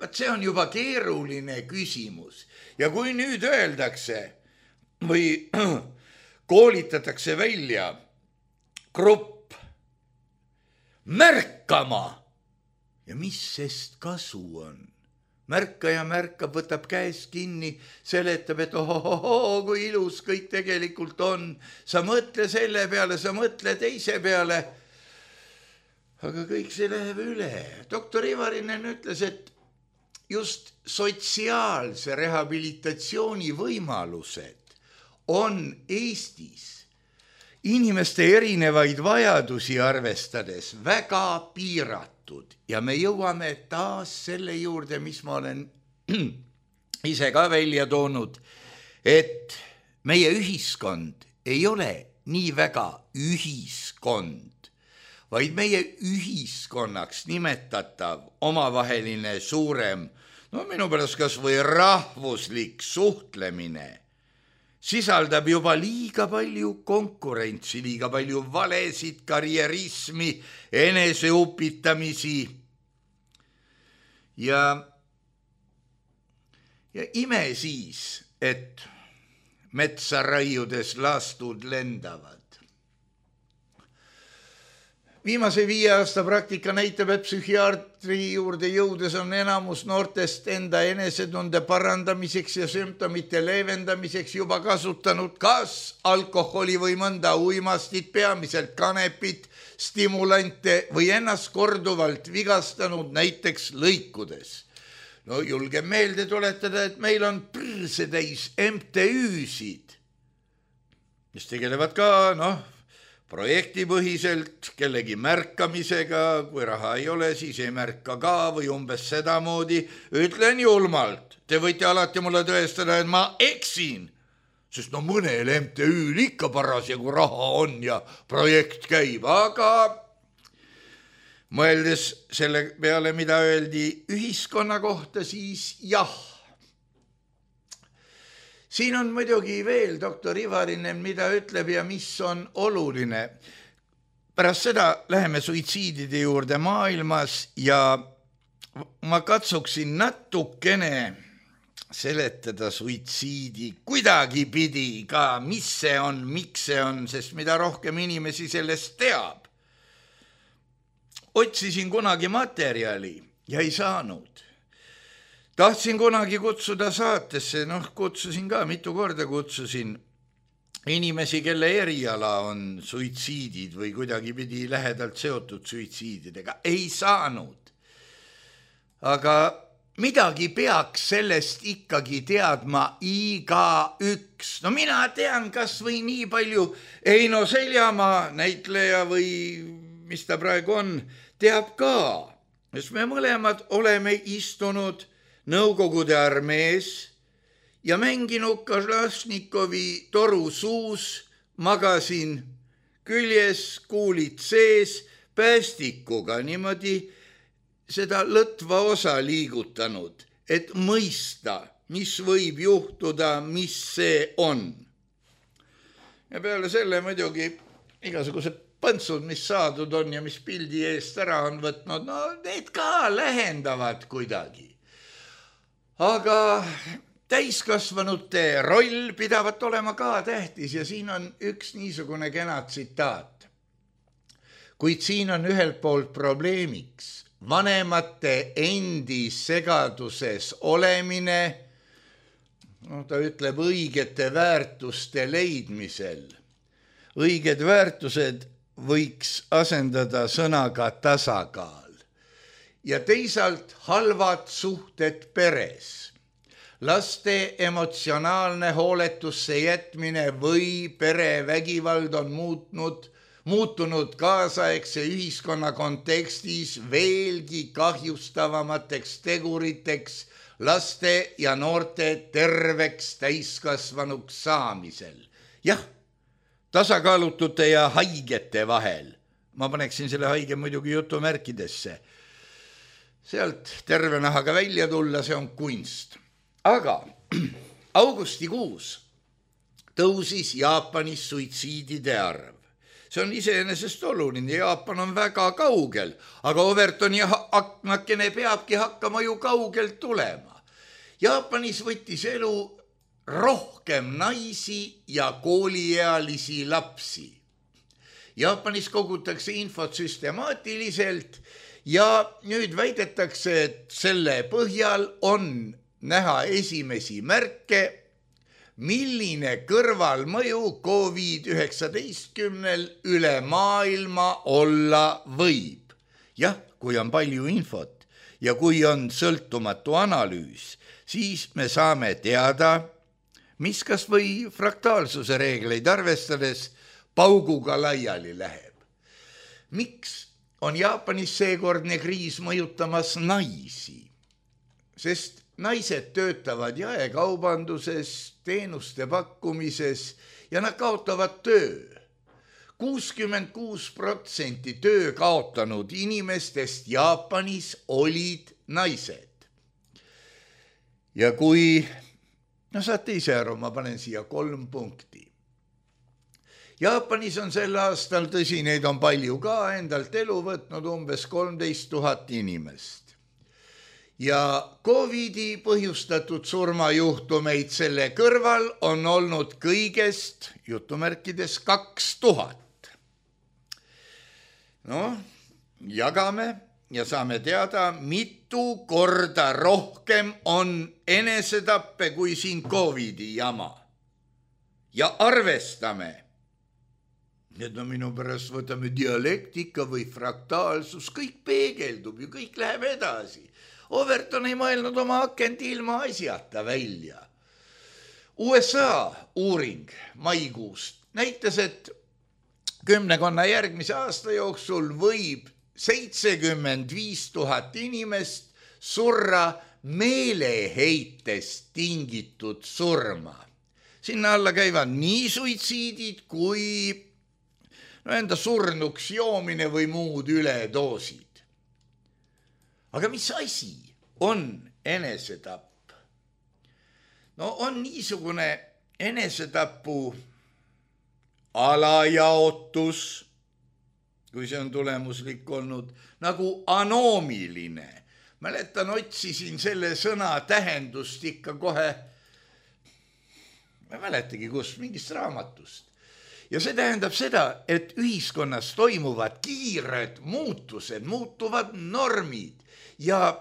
see on juba keeruline küsimus. Ja kui nüüd öeldakse või koolitatakse välja grupp märkama ja mis sest kasu on? Märkaja märkab, võtab käest kinni, seletab, et ohohoho, kui ilus kõik tegelikult on. Sa mõtle selle peale, sa mõtle teise peale. Aga kõik see läheb üle. Doktor Ivarinen ütles, et just sotsiaalse rehabilitatsiooni võimalused on Eestis inimeste erinevaid vajadusi arvestades väga piiratud. Ja me jõuame taas selle juurde, mis ma olen ise ka välja toonud, et meie ühiskond ei ole nii väga ühiskond, vaid meie ühiskonnaks nimetatav omavaheline suurem, no minu pärast kas või rahvuslik suhtlemine, sisaldab juba liiga palju konkurentsi, liiga palju valesid, karjerismi, eneseupitamisi ja ime siis, et metsa raiudes lastud lendavad. Viimase 5 aasta praktika näitab, et psühhiaatri juurde jõudes on enamus noortest enda enesetunde parandamiseks ja sümptomite leevendamiseks juba kasutanud kas alkoholi või mõnda uimastit, peamiselt kanepit, stimulante või ennast korduvalt vigastanud näiteks lõikudes. No julgen meelde tuletada, et meil on prõrsetäis MTÜ-sid, mis tegelevad ka, projektipõhiselt, kellegi märkamisega, kui raha ei ole, siis ei märka ka või umbes sedamoodi. Ütlen julmalt, te võite alati mulle tõestada, et ma eksin, sest mõnel MTÜ-l ikka parasjagu raha on ja projekt käib, aga mõeldes selle peale, mida öeldi ühiskonna kohta, siis jah. Siin on muidugi veel doktor Ivarinen, mida ütleb ja mis on oluline. Pärast seda läheme suitsiidide juurde maailmas ja ma katsuksin natukene seletada suitsiidi kuidagi pidi ka, mis see on, miks see on, sest mida rohkem inimesi sellest teab. Otsisin kunagi materjali ja ei saanud. Tahtsin kunagi kutsuda saatesse, kutsusin ka, mitu korda kutsusin inimesi, kelle eriala on suitsiidid või kuidagi pidi lähedalt seotud suitsiididega. Ei saanud. Aga midagi peaks sellest ikkagi teadma igaüks. Mina tean kas või nii palju Eino Seljamaa, näitleja või mis ta praegu on, teab ka. Sest me mõlemad oleme istunud Nõukogude armees ja mänginud Kalasnikovi toru suus, magasin küljes, kuulid sees, päästikuga niimoodi seda lõtva osa liigutanud, et mõista, mis võib juhtuda, mis see on. Ja peale selle muidugi igasugused põntsud, mis saadud on ja mis pildi eest ära on võtnud, need ka lähendavad kuidagi. Aga täiskasvanute roll pidavat olema ka tähtis ja siin on üks niisugune kena tsitaat. Kuid siin on ühelt poolt probleemiks vanemate endi segaduses olemine, ta ütleb õigete väärtuste leidmisel. Õiged väärtused võiks asendada sõnaga tasakaal. Ja teisalt halvad suhted peres. Laste emotsionaalne hooletusse jätmine või perevägivald on muutunud kaasaegse ühiskonna kontekstis veelgi kahjustavamateks teguriteks laste ja noorte terveks täiskasvanuks saamisel. Jah, tasakaalutute ja haigete vahel. Ma paneksin selle haige muidugi jutumärkidesse. Sealt terve nahaga välja tulla, see on kunst. Aga augustikuus tõusis Jaapanis suitsiidide arv. See on iseenesest oluline, Jaapan on väga kaugel, aga Overtoni aknakene peabki hakkama ju kaugelt tulema. Jaapanis võttis elu rohkem naisi ja kooliealisi lapsi. Jaapanis kogutakse infot süstemaatiliselt ja nüüd väidetakse, et selle põhjal on näha esimesi märke, milline kõrvalmõju COVID-19 üle maailma olla võib. Jah, kui on palju infot ja kui on sõltumatu analüüs, siis me saame teada, mis kas või fraktaalsuse reegleid arvestades pauguga laiali läheb. Miks on Jaapanis seekordne kriis mõjutamas naisi? Sest naised töötavad jaekaubanduses, teenuste pakkumises ja nad kaotavad töö. 66% töö kaotanud inimestest Jaapanis olid naised. Ja kui, saate ise aru, ma panen siia 3 punkti. Jaapanis on sel aastal, tõsi, neid on palju ka, endalt elu võtnud umbes 13 000 inimest. Ja COVIDi põhjustatud surmajuhtumeid selle kõrval on olnud kõigest, jutumärkides, 2000. Jagame ja saame teada, mitu korda rohkem on enesetappe kui siin COVIDi jama. Ja arvestame, need on minu pärast, võtame dialektika või fraktaalsus, kõik peegeldub ju, kõik läheb edasi. Overton ei mõelnud oma akent ilma asjata välja. USA uuring maikuust näitas, et 10 järgmise aasta jooksul võib 75 000 inimest surra meeleheitest tingitud surma. Sinna alla käivad nii suitsiidid kui enda surnuks joomine või muud üledoosid. Aga mis asi on enesetapp? On niisugune enesetapu alajaotus, kui see on tulemuslik olnud, nagu anoomiline. Mäletan, otsisin selle sõna tähendust ikka kohe, ma mäletagi kust, mingist raamatust. Ja see tähendab seda, et ühiskonnas toimuvad kiired muutused, muutuvad normid ja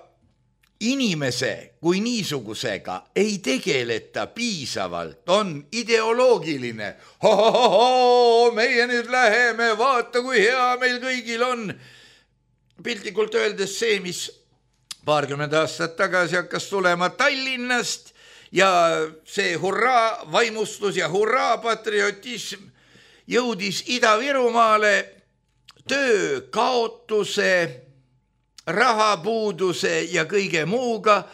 inimese kui niisugusega ei tegeleta piisavalt, on ideoloogiline. Meie nüüd läheme, vaata kui hea meil kõigil on. Piltlikult öeldes see, mis 20 aastat tagasi hakkas tulema Tallinnast ja see hurraa vaimustus ja hurraa patriotism jõudis Ida-Virumaale töö kaotuse, rahapuuduse ja kõige muuga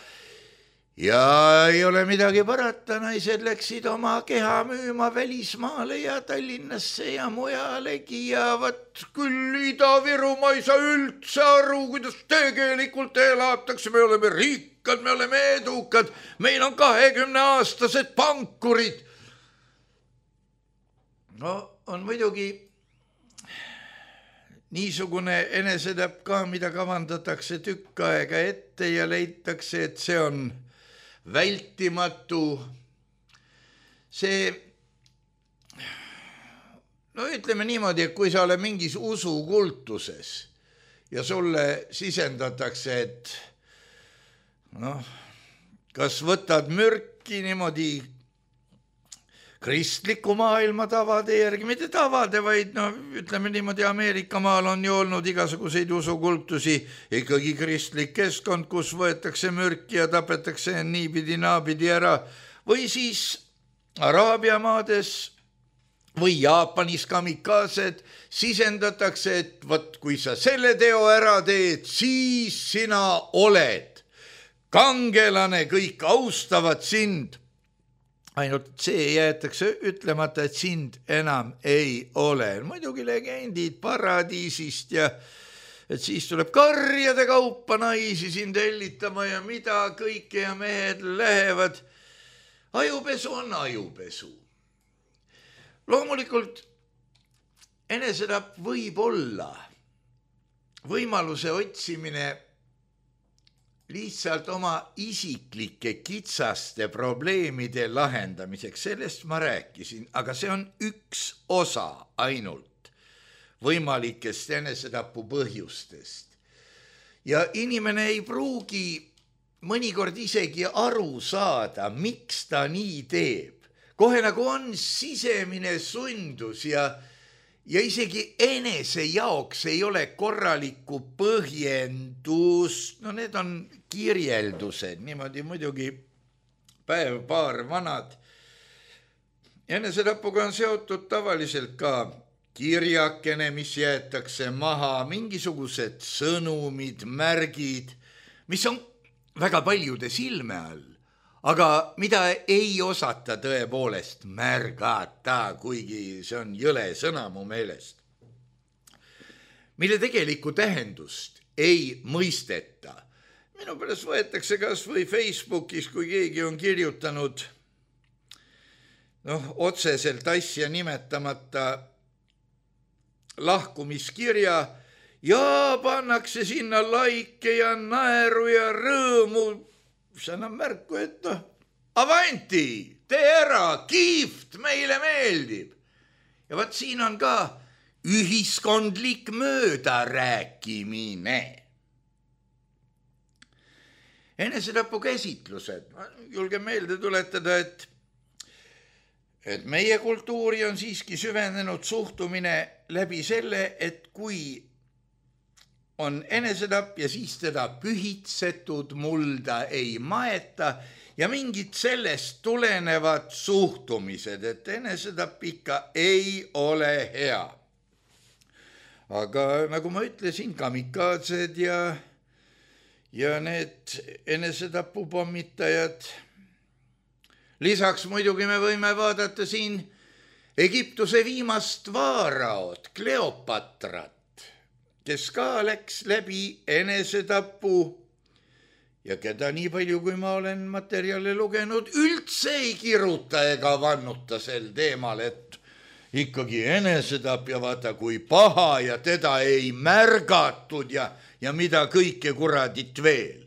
ja ei ole midagi parata, naised läksid oma keha müüma välismaale ja Tallinnasse ja mujalegi ja vat küll Ida-Virumaa ei saa üldse aru, kuidas tegelikult elatakse, me oleme rikkad, me oleme edukad, meil on 20-aastased pankurid. On muidugi niisugune enesetapp ka, mida kavandatakse tükk aega ette ja leitakse, et see on vältimatu. See, ütleme niimoodi, et kui sa oled mingis usukultuses ja sulle sisendatakse, et kas võtad mürki niimoodi kristliku maailma tavade järgi, mitte tavade, vaid ütleme niimoodi, Ameerika maal on ju olnud igasuguseid usukultusi, ikkagi kristlik keskkond, kus võetakse mürki ja tapetakse niipidi naapidi ära, või siis Araabia maades või Jaapanis kamikaased sisendatakse, et võt, kui sa selle teo ära teed, siis sina oled kangelane, kõik austavad sind. Ainult see jäetakse ütlemata, et sind enam ei ole. Muidugi legendid paradiisist ja et siis tuleb karjade kaupa naisi sind hellitama ja mida kõike ja mehed lähevad. Ajupesu on ajupesu. Loomulikult enesetapp võib olla võimaluse otsimine lihtsalt oma isiklike kitsaste probleemide lahendamiseks. Sellest ma rääkisin, aga see on üks osa ainult võimalikest enesetapu põhjustest. Ja inimene ei pruugi mõnikord isegi aru saada, miks ta nii teeb. Kohe nagu on sisemine sundus ja isegi enese jaoks ei ole korralikku põhjendust. No need on kirjeldused, niimoodi muidugi päev-paar vanad. Enesetapuga on seotud tavaliselt ka kirjakene, mis jäetakse maha, mingisugused sõnumid, märgid, mis on väga paljude silme all, aga mida ei osata tõepoolest märgata, kuigi see on jõle sõna mu meelest, mille tegelikku tähendust ei mõisteta. Minu pärast võetakse kas või Facebookis, kui keegi on kirjutanud otseselt asja nimetamata lahkumiskirja ja pannakse sinna laike ja naeru ja rõõmu. See annab märku, et avanti, tee ära, kiift, meile meeldib. Ja vaat siin on ka ühiskondlik möödarääkimine. Enesetapu käsitlused. Ma julgen meelde tuletada, et meie kultuuri on siiski süvenenud suhtumine läbi selle, et kui on enesetapp ja siis teda pühitsetud mulda ei maeta ja mingid sellest tulenevad suhtumised, et enesetapp ikka ei ole hea. Aga nagu ma ütlesin, kamikaatsed ja need enesetapu pommitajad. Lisaks muidugi me võime vaadata siin Egiptuse viimast vaaraot, Kleopatrat, kes ka läks läbi enesetapu ja keda nii palju, kui ma olen materjale lugenud, üldse ei kiruta ega vannuta sel teemal, et ikkagi enesetapp ja vaata kui paha ja teda ei märgatud ja mida kõike kuradit veel.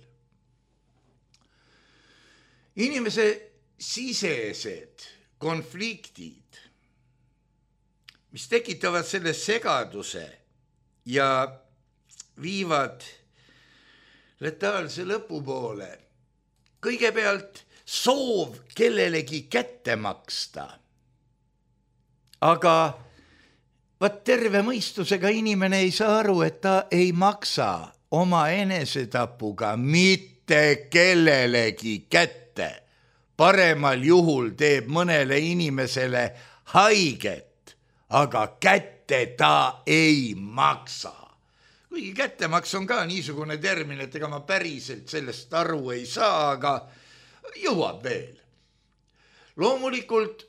Inimese sisesed konfliktid, mis tekitavad selle segaduse ja viivad letaalse lõpu poole. Kõigepealt soov kellelegi kätte maksta. Aga vaat terve mõistusega inimene ei saa aru, et ta ei maksa oma enesetapuga mitte kellelegi kätte. Paremal juhul teeb mõnele inimesele haiget, aga kätte ta ei maksa. Kuigi kättemaks on ka niisugune termin, et ega ma päriselt sellest aru ei saa, aga jõuab veel. Loomulikult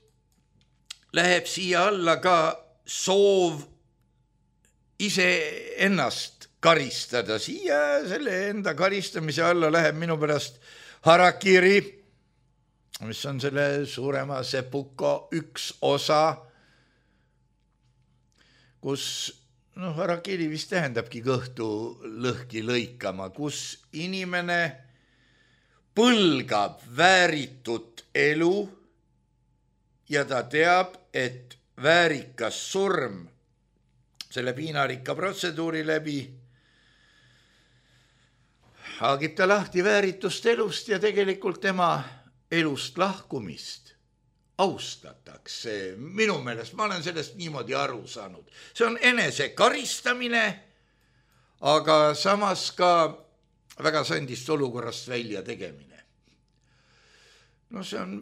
läheb siia alla ka soov ise ennast karistada. Siia selle enda karistamise alla läheb minu pärast harakiri, mis on selle suurema sepuko üks osa, kus harakiri vist tähendabki kõhtu lõhki lõikama, kus inimene põlgab vääritut elu ja ta teab, et väärikas surm selle piinarikka protseduuri läbi haagib ta lahti vääritust elust ja tegelikult tema elust lahkumist austatakse. Minu meelest, ma olen sellest niimoodi aru saanud. See on enese karistamine, aga samas ka väga sandist olukorrast välja tegemine. See on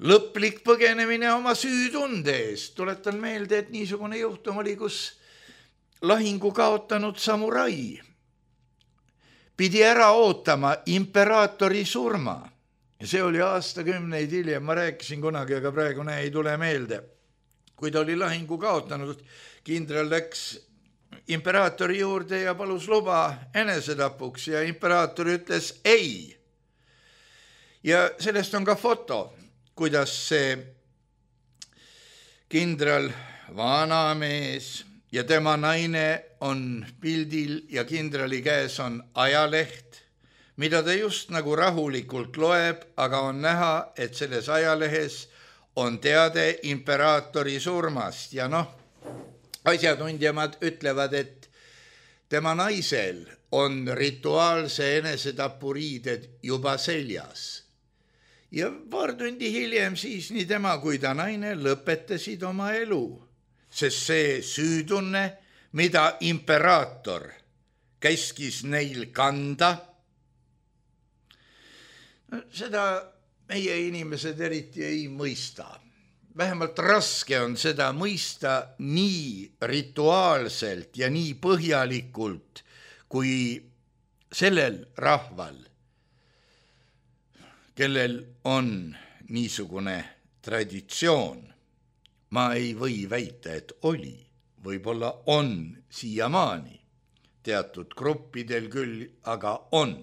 lõplik põgenemine oma süütunde eest. Tuletan meelde, et niisugune juhtum oli, kus lahingu kaotanud samurai pidi ära ootama imperaatori surma. Ja see oli aastakümneid hiljem, ma rääkisin kunagi, aga praegu ei tule meelde. Kui ta oli lahingu kaotanud, kindral läks imperaatori juurde ja palus luba enesetapuks ja imperaator ütles ei. Ja sellest on ka foto, kuidas see kindral, vanamees ja tema naine on pildil ja kindrali käes on ajaleht, mida ta just nagu rahulikult loeb, aga on näha, et selles ajalehes on teade imperaatori surmast ja asjatundjamad ütlevad, et tema naisel on rituaalse enesetapuriided juba seljas. Ja paar tundi hiljem siis nii tema kui ta naine lõpetasid oma elu, sest see süütunne, mida imperaator käskis neil kanda, seda meie inimesed eriti ei mõista. Vähemalt raske on seda mõista nii rituaalselt ja nii põhjalikult, kui sellel rahval, kellel on niisugune traditsioon. Ma ei või väita, et oli, võib-olla on siiamaani, teatud gruppidel küll, aga on.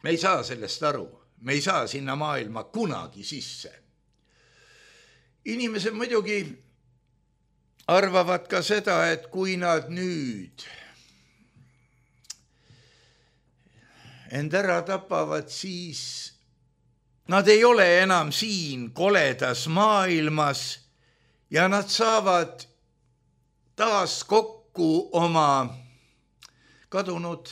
Me ei saa sellest aru, me ei saa sinna maailma kunagi sisse. Inimesed muidugi arvavad ka seda, et kui nad nüüd end ära tapavad, siis nad ei ole enam siin koledas maailmas ja nad saavad taas kokku oma kadunud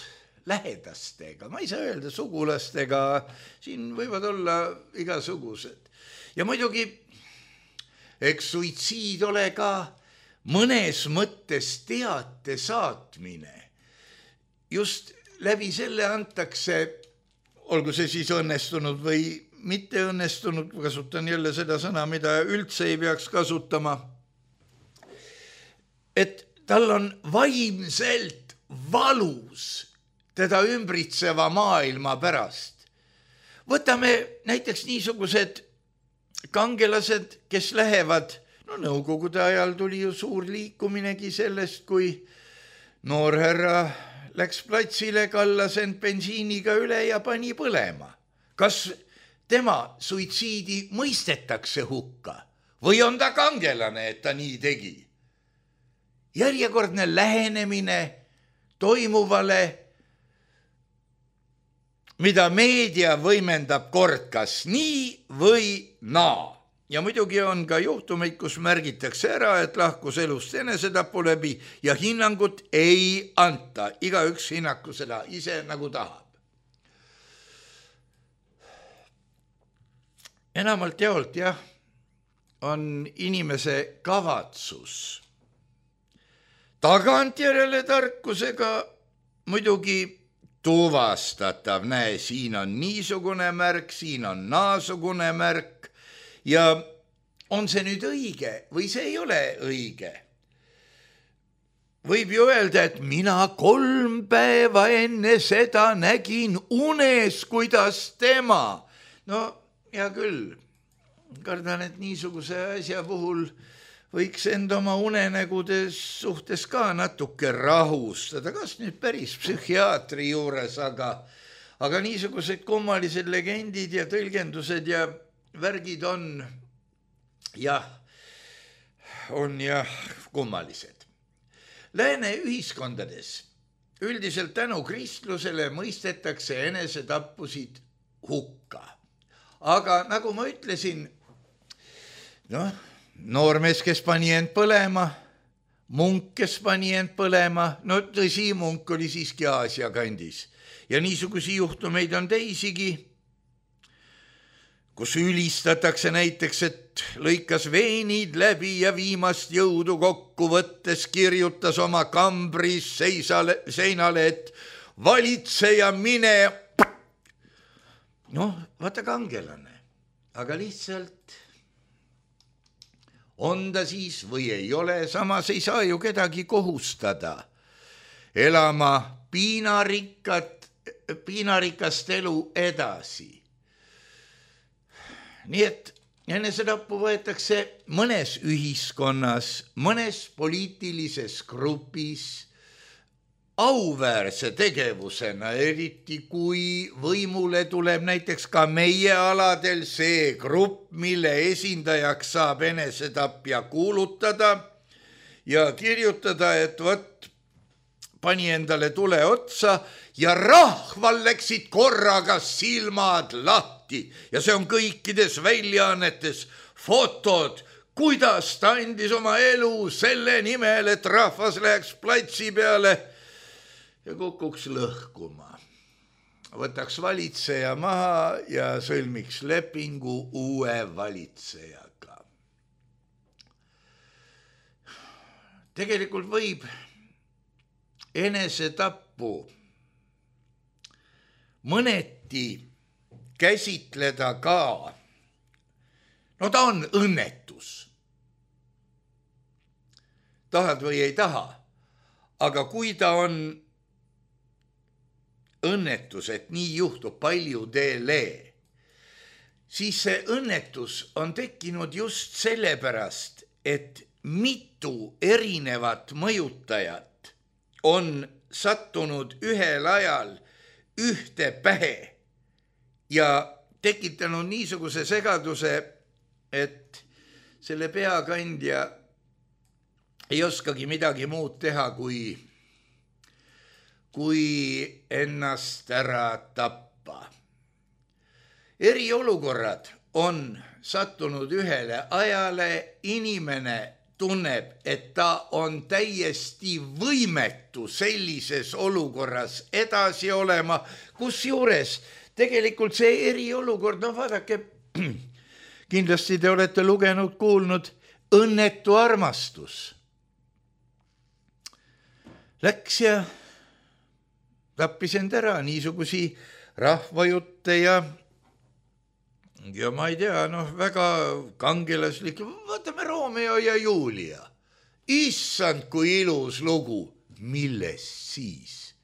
lähedastega, ma ei saa öelda sugulastega, siin võivad olla igasugused. Ja muidugi, eks suitsiid ole ka mõnes mõttes teate saatmine. Just läbi selle antakse, olgu see siis õnnestunud või mitte õnnestunud, kasutan jälle seda sõna, mida üldse ei peaks kasutama, et tal on vaimselt valus teda ümbritseva maailma pärast. Võtame näiteks niisugused kangelased, kes lähevad, nõukogude ajal tuli ju suur liikuminegi sellest, kui noorherra läks platsile, kallas end bensiiniga üle ja pani põlema. Kas tema suitsiidi mõistetakse hukka või on ta kangelane, et ta nii tegi? Järjekordne lähenemine toimuvale, mida meedia võimendab kord kas nii või naa. Ja muidugi on ka juhtumeid, kus märgitakse ära, et lahkus elust enesetapu läbi ja hinnangut ei anta. Igaüks hinnaku seda ise nagu tahab. Enamalt jaolt on inimese kavatsus tagantjärele tarkusega muidugi tuvastatav. Näe, siin on niisugune märk, siin on naasugune märk ja on see nüüd õige või see ei ole õige? Võib ju öelda, et mina 3 päeva enne seda nägin unes, kuidas tema. No, hea küll, kardan, et niisuguse asja puhul võiks end oma unenägudes suhtes ka natuke rahustada, kas nüüd päris psühhiaatri juures, aga niisugused kummalised legendid ja tõlgendused ja värgid on kummalised. Lääne ühiskondades üldiselt tänu kristlusele mõistetakse enesetappusid hukka. Aga nagu ma ütlesin, noormees, kes pani end põlema, munk, kes pani end põlema, tõsi, munk oli siiski Aasia kandis. Ja niisugusi juhtumeid on teisigi, kus ülistatakse näiteks, et lõikas veenid läbi ja viimast jõudu kokku võttes kirjutas oma kambris seinale, et valitseja mine. Vaata kangelane, aga lihtsalt on ta siis või ei ole, samas ei saa ju kedagi kohustada elama piinarikast elu edasi. Nii et enesetappu võetakse mõnes ühiskonnas, mõnes poliitilises grupis auväärse tegevusena, eriti kui võimule tuleb näiteks ka meie aladel see grupp, mille esindajaks saab enesetapja kuulutada ja kirjutada, et võt, pani endale tule otsa ja rahval läksid korraga silmad lahti ja see on kõikides väljaannetes fotod, kuidas ta andis oma elu selle nimel, et rahvas läheks platsi peale ja kukuks lõhkuma. Võtaks valitseja maha ja sõlmiks lepingu uue valitsejaga. Tegelikult võib enesetappu mõneti käsitleda ka, no ta on õnnetus. Tahad või ei taha, aga kui ta on õnnetus, et nii juhtub paljudele, siis see õnnetus on tekkinud just sellepärast, et mitu erinevat mõjutajat on sattunud ühel ajal ühte pähe ja tekitanud niisuguse segaduse, et selle peakandja ei oskagi midagi muud teha, kui ennast ära tappa. Eriolukorrad on sattunud ühele ajale, inimene tunneb, et ta on täiesti võimetu sellises olukorras edasi olema, kusjuures tegelikult see eriolukord, no vaadake, kindlasti te olete lugenud, kuulnud, õnnetu armastus. Läks ja tappis end ära, niisugusi rahvajutte ja ma ei tea, väga kangelaslik, vaatame Romeo ja Julia. Issand, kui ilus lugu, millest siis?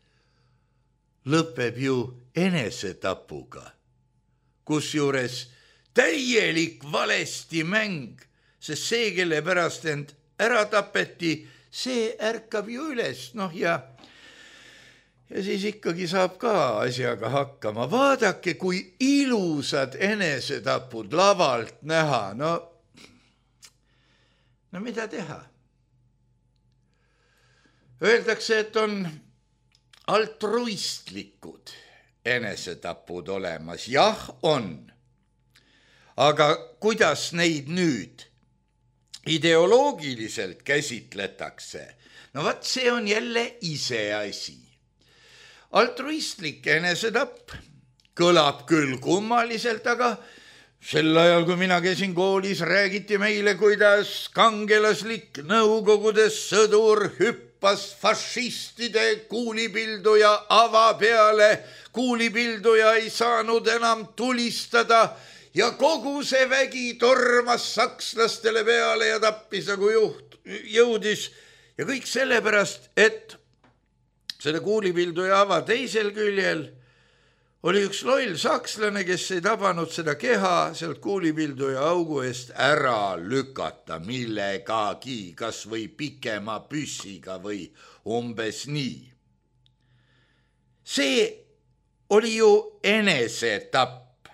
Lõpeb ju enesetapuga, kusjuures täielik valesti mäng, sest see, kelle pärast end ära tapeti, see ärkab ju üles, ja siis ikkagi saab ka asjaga hakkama. Vaadake, kui ilusad enesetapud lavalt näha. No mida teha? Öeldakse, et on altruistlikud enesetapud olemas. Jah, on. Aga kuidas neid nüüd ideoloogiliselt käsitletakse? No vaat see on jälle iseasi. Altruistlik enesetapp kõlab küll kummaliselt, aga sel ajal, kui mina käisin koolis, räägiti meile, kuidas kangelaslik Nõukogudes sõdur hüppas fašistide kuulipilduja ava peale. Kuulipilduja ei saanud enam tulistada ja kogu see vägi tormas sakslastele peale ja tappis, nagu jõudis. Ja kõik sellepärast, et selle kuulipilduja ava teisel küljel oli üks loll sakslane, kes ei tabanud seda keha sealt kuulipilduja augu eest ära lükata millegagi, kas või pikema püssiga või umbes nii. See oli ju enesetapp.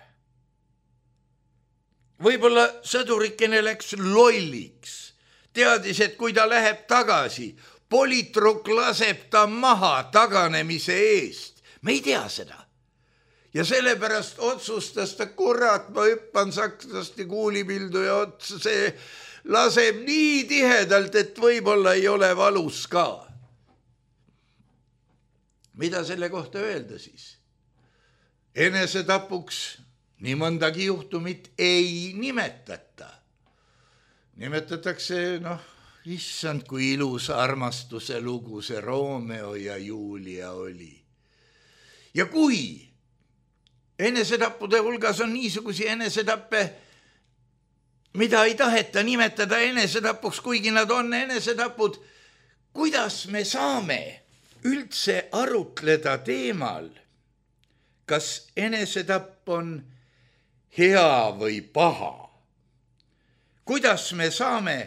Võib-olla sõdurikene läks lolliks, teadis, et kui ta läheb tagasi, politruk laseb ta maha taganemise eest. Me ei tea seda. Ja sellepärast otsustas ta, kurat, ma hüppan sakslaste kuulipilduja otsa, see laseb nii tihedalt, et võib-olla ei ole valus ka. Mida selle kohta öelda siis? Enesetapuks nii mõndagi juhtumit ei nimetata. Nimetatakse, issand, kui ilus armastuse lugu see Romeo ja Julia oli. Ja kui enesetappude hulgas on niisugusi enesetappe, mida ei taheta nimetada enesetapuks, kuigi nad on enesetapud, kuidas me saame üldse arutleda teemal, kas enesetapp on hea või paha. Kuidas me saame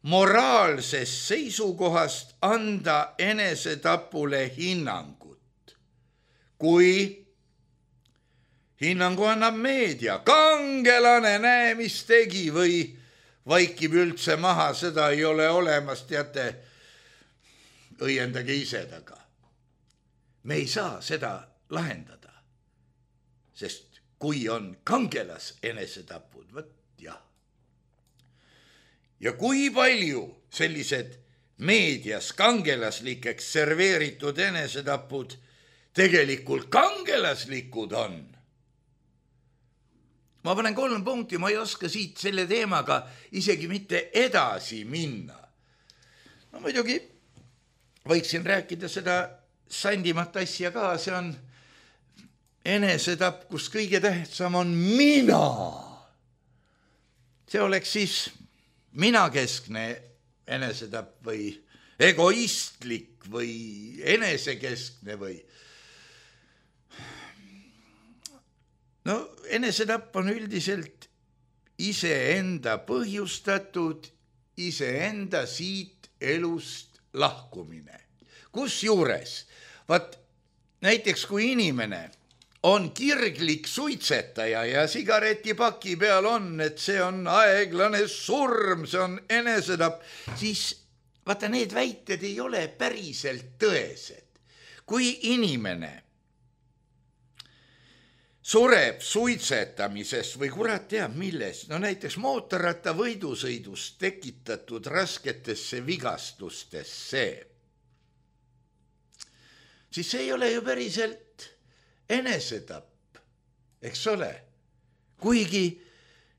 moraalsest seisukohast anda enesetapule hinnangut? Kui hinnangu annab meedia, kangelane, näe, mis tegi, või vaikib üldse maha, seda ei ole olemas, teate, õiendage ise taga. Me ei saa seda lahendada, sest kui on kangelas enesetapud, võt jah. Ja kui palju sellised meedias kangelaslikeks serveeritud enesetapud tegelikult kangelaslikud on? Ma panen 3 punkti, ma ei oska siit selle teemaga isegi mitte edasi minna. No muidugi võiksin rääkida seda sandimat asja ka, see on enesetapp, kus kõige tähtsam on mina. See oleks siis minakeskne enesetapp või egoistlik või enesekeskne või. No enesetapp on üldiselt iseenda põhjustatud, iseenda siit elust lahkumine. Kusjuures, näiteks kui inimene on kirglik suitsetaja ja sigaretipaki peal on, et see on aeglane surm, see on enesetapp, siis vaata, need väited ei ole päriselt tõesed. Kui inimene sureb suitsetamisest või kurat teab millest, no näiteks mootorratta võidusõidust tekitatud rasketesse vigastustesse, siis see ei ole ju päriselt enesetapp, eks ole. Kuigi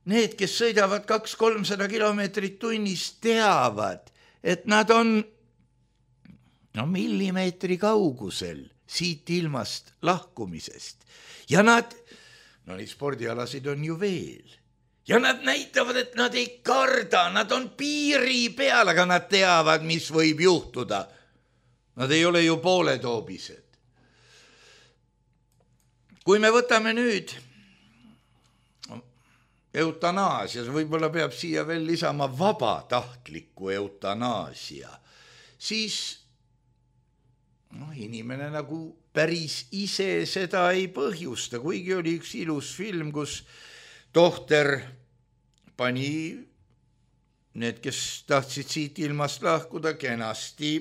need, kes sõidavad 200-300 kilomeetrit tunnis, teavad, et nad on millimeetri kaugusel siit ilmast lahkumisest. Ja nad, neid spordialasid on ju veel. Ja nad näitavad, et nad ei karda, nad on piiri peal, aga nad teavad, mis võib juhtuda. Nad ei ole ju pooletoobised. Kui me võtame nüüd eutanaasias, võib-olla peab siia veel lisama vabatahtliku eutanaasia, siis inimene nagu päris ise seda ei põhjusta, kuigi oli üks ilus film, kus tohter pani need, kes tahtsid siit ilmast lahkuda, kenasti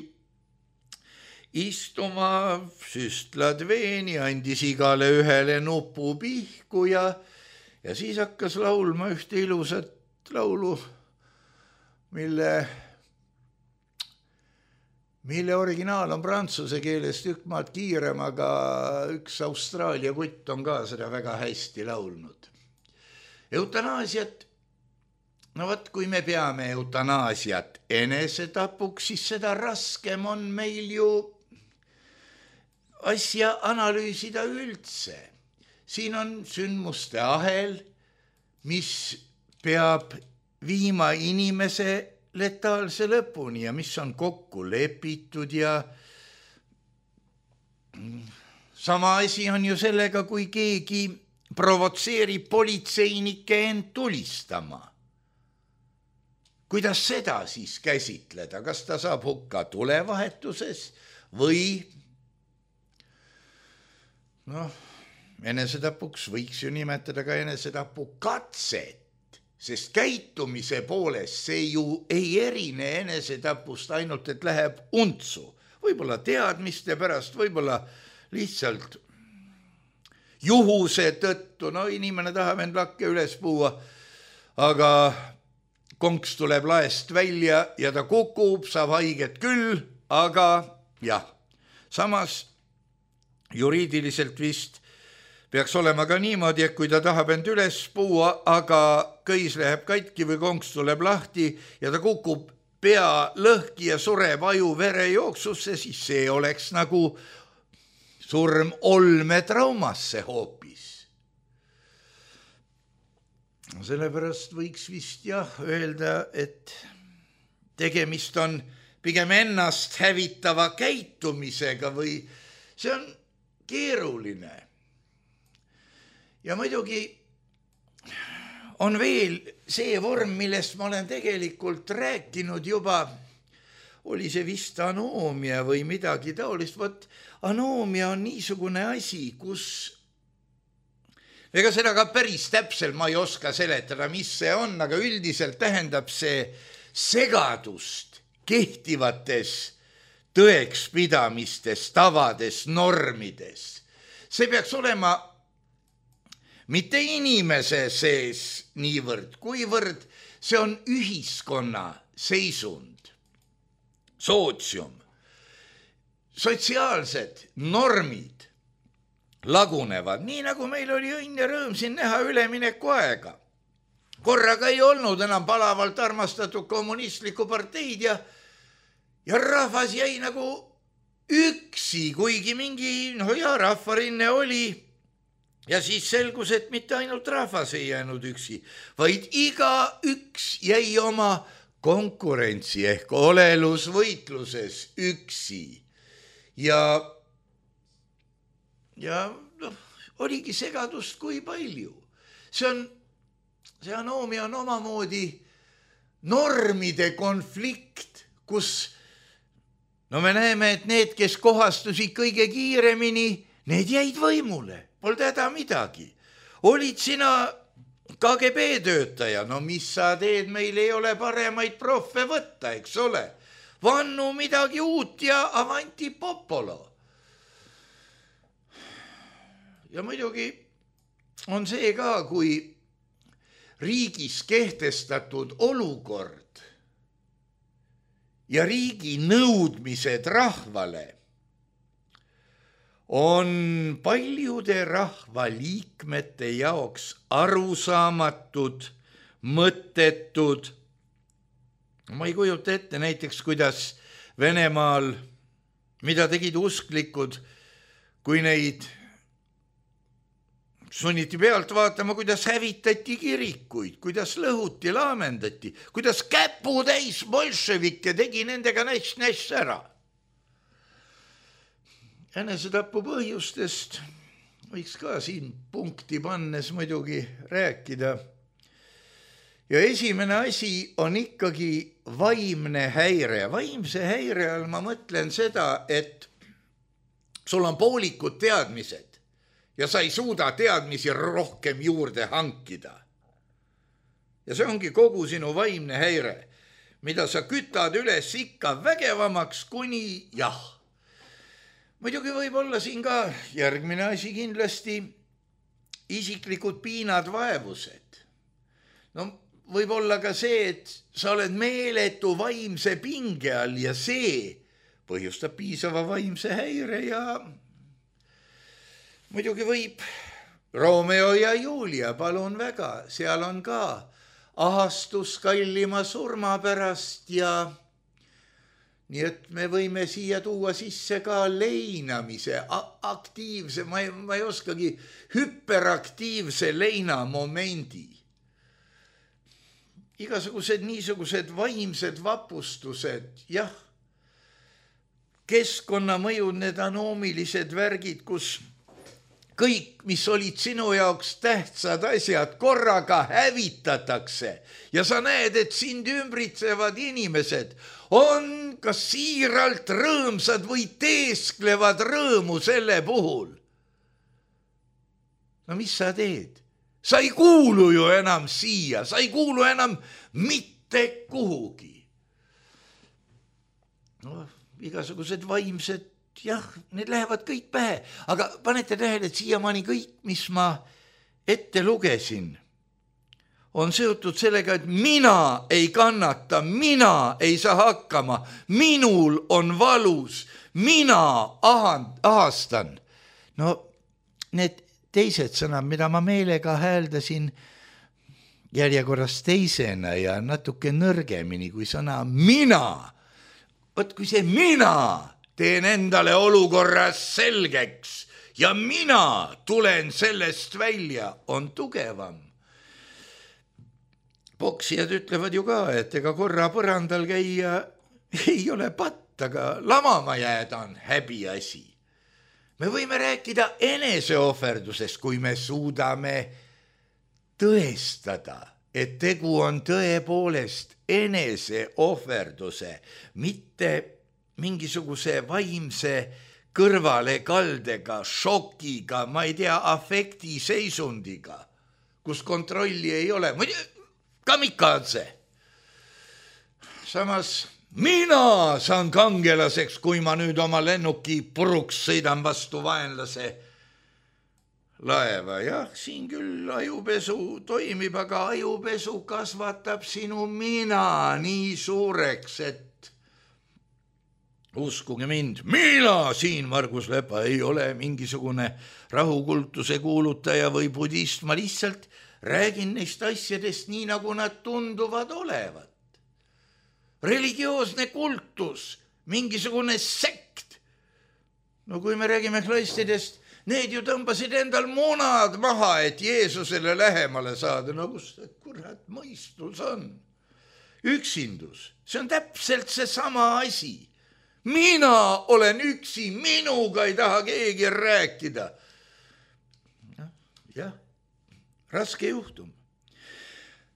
istuma, süstlad veeni, andis igale ühele nupu pihku ja siis hakkas laulma ühte ilusat laulu, mille originaal on prantsuse keeles tükk maad kiirem, aga üks Austraalia kutt on ka seda väga hästi laulnud. Eutanaasiat, kui me peame eutanaasiat enesetapuks, siis seda raskem on meil ju asja analüüsida üldse. Siin on sündmuste ahel, mis peab viima inimese letaalse lõpuni ja mis on kokku lepitud ja sama asi on ju sellega, kui keegi provotseerib politseinikke end tulistama. Kuidas seda siis käsitleda? Kas ta saab hukka tulevahetuses või enesetapuks võiks ju nimetada ka enesetapu katset, sest käitumise poolest see ju ei erine enesetapust ainult, et läheb untsu. Võib-olla teadmiste pärast, võib-olla lihtsalt juhuse tõttu, inimene tahab end lakke üles puua, aga konks tuleb laest välja ja ta kukub, saab haiget küll, aga jah, samas juriidiliselt vist peaks olema ka niimoodi, et kui ta tahab end üles puua, aga köis läheb katki või konks tuleb lahti ja ta kukub pea lõhki ja sureb aju verejooksusse, siis see oleks nagu surm olmetraumasse hoopis. Sellepärast võiks vist öelda, et tegemist on pigem ennast hävitava käitumisega või see on keeruline. Ja muidugi on veel see vorm, millest ma olen tegelikult rääkinud juba, oli see vist anoomia või midagi taolist. Vot anoomia on niisugune asi, kus ega seda ka päris täpselt ma ei oska seletada, mis see on, aga üldiselt tähendab see segadust kehtivates tõekspidamistes, tavades, normides. See peaks olema mitte inimese sees niivõrd, kuivõrd see on ühiskonna seisund, sootsium, sotsiaalsed normid lagunevad, nii nagu meil oli õnn ja rõõm siin näha ülemineku aega. Korraga ei olnud enam palavalt armastatud kommunistlikku parteid ja rahvas jäi nagu üksi, kuigi mingi rahvarinne oli. Ja siis selgus, et mitte ainult rahvas ei jäänud üksi, vaid iga üks jäi oma konkurentsi ehk olelusvõitluses üksi. Ja oligi segadust kui palju. See anoomia on omamoodi normide konflikt, kus me näeme, et need, kes kohastusid kõige kiiremini, need jäid võimule. Polnud häda midagi. Olid sina KGB töötaja, mis sa teed, meil ei ole paremaid proffe võtta, eks ole. Vannu midagi uut ja avanti popolo. Ja muidugi on see ka, kui riigis kehtestatud olukord ja riigi nõudmised rahvale on paljude rahvaliikmete jaoks arusaamatud, mõttetud. Ma ei kujuta ette näiteks, kuidas Venemaal, mida tegid usklikud, kui neid sunniti pealt vaatama, kuidas hävitati kirikuid, kuidas lõhuti, laamendati, kuidas käputäis bolševikke tegi nendega näss ära. Enesetapu põhjustest võiks ka siin punkti pannes muidugi rääkida. Ja esimene asi on ikkagi vaimne häire. Vaimse häire all ma mõtlen seda, et sul on poolikud teadmised ja sa ei suuda teadmisi rohkem juurde hankida. Ja see ongi kogu sinu vaimne häire, mida sa kütad üles ikka vägevamaks kuni jah. Muidugi võib olla siin ka järgmine asi kindlasti isiklikud piinad, vaevused. Võib olla ka see, et sa oled meeletu vaimse pinge all ja see põhjustab piisava vaimse häire ja muidugi võib Romeo ja Julia, palun väga, seal on ka ahastus kallima surma pärast ja nii et me võime siia tuua sisse ka leinamise, aktiivse, ma ei oskagi, hüperaktiivse leinamomendi. Igasugused niisugused vaimsed vapustused, jah, keskkonnamõjud, need anoomilised värgid, kus kõik, mis olid sinu jaoks tähtsad asjad, korraga hävitatakse ja sa näed, et sind ümbritsevad inimesed on kas siiralt rõõmsad või teesklevad rõõmu selle puhul. Mis sa teed? Sa ei kuulu ju enam siia, sa ei kuulu enam mitte kuhugi. Igasugused vaimsed, jah, need lähevad kõik pähe, aga panete tähele, et siiamaani kõik, mis ma ette lugesin, on seotud sellega, et mina ei kannata, mina ei saa hakkama, minul on valus, mina ahastan. Need teised sõnad, mida ma meelega hääldasin järjekorras teisena ja natuke nõrgemini kui sõna mina. Võt kui see mina teen endale olukorras selgeks ja mina tulen sellest välja, on tugevam. Poksijad ütlevad ju ka, et ega korra põrandal käia ei ole patt, aga lamama jääda on häbiasi. Me võime rääkida eneseohverdusest, kui me suudame tõestada, et tegu on tõepoolest eneseohverduse, mitte mingisuguse vaimse kõrvalekaldega, šokiga, ma ei tea, afektiseisundiga, kus kontrolli ei ole. Kamikadze. Samas mina saan kangelaseks, kui ma nüüd oma lennuki puruks sõidan vastu vaenlase laeva. Jah, siin küll ajupesu toimib, aga ajupesu kasvatab sinu mina nii suureks, et uskuge mind, mina siin, Margus Lepa, ei ole mingisugune rahukultuse kuulutaja või budist, ma lihtsalt räägin neist asjadest nii, nagu nad tunduvad olevat. Religioosne kultus, mingisugune sekt. No kui me räägime klaistidest, need ju tõmbasid endal munad maha, et Jeesusele lähemale saada. No kus see kurat mõistus on? Üksindus, see on täpselt see sama asi. Mina olen üksi, minuga ei taha keegi rääkida. Jah, raske juhtum.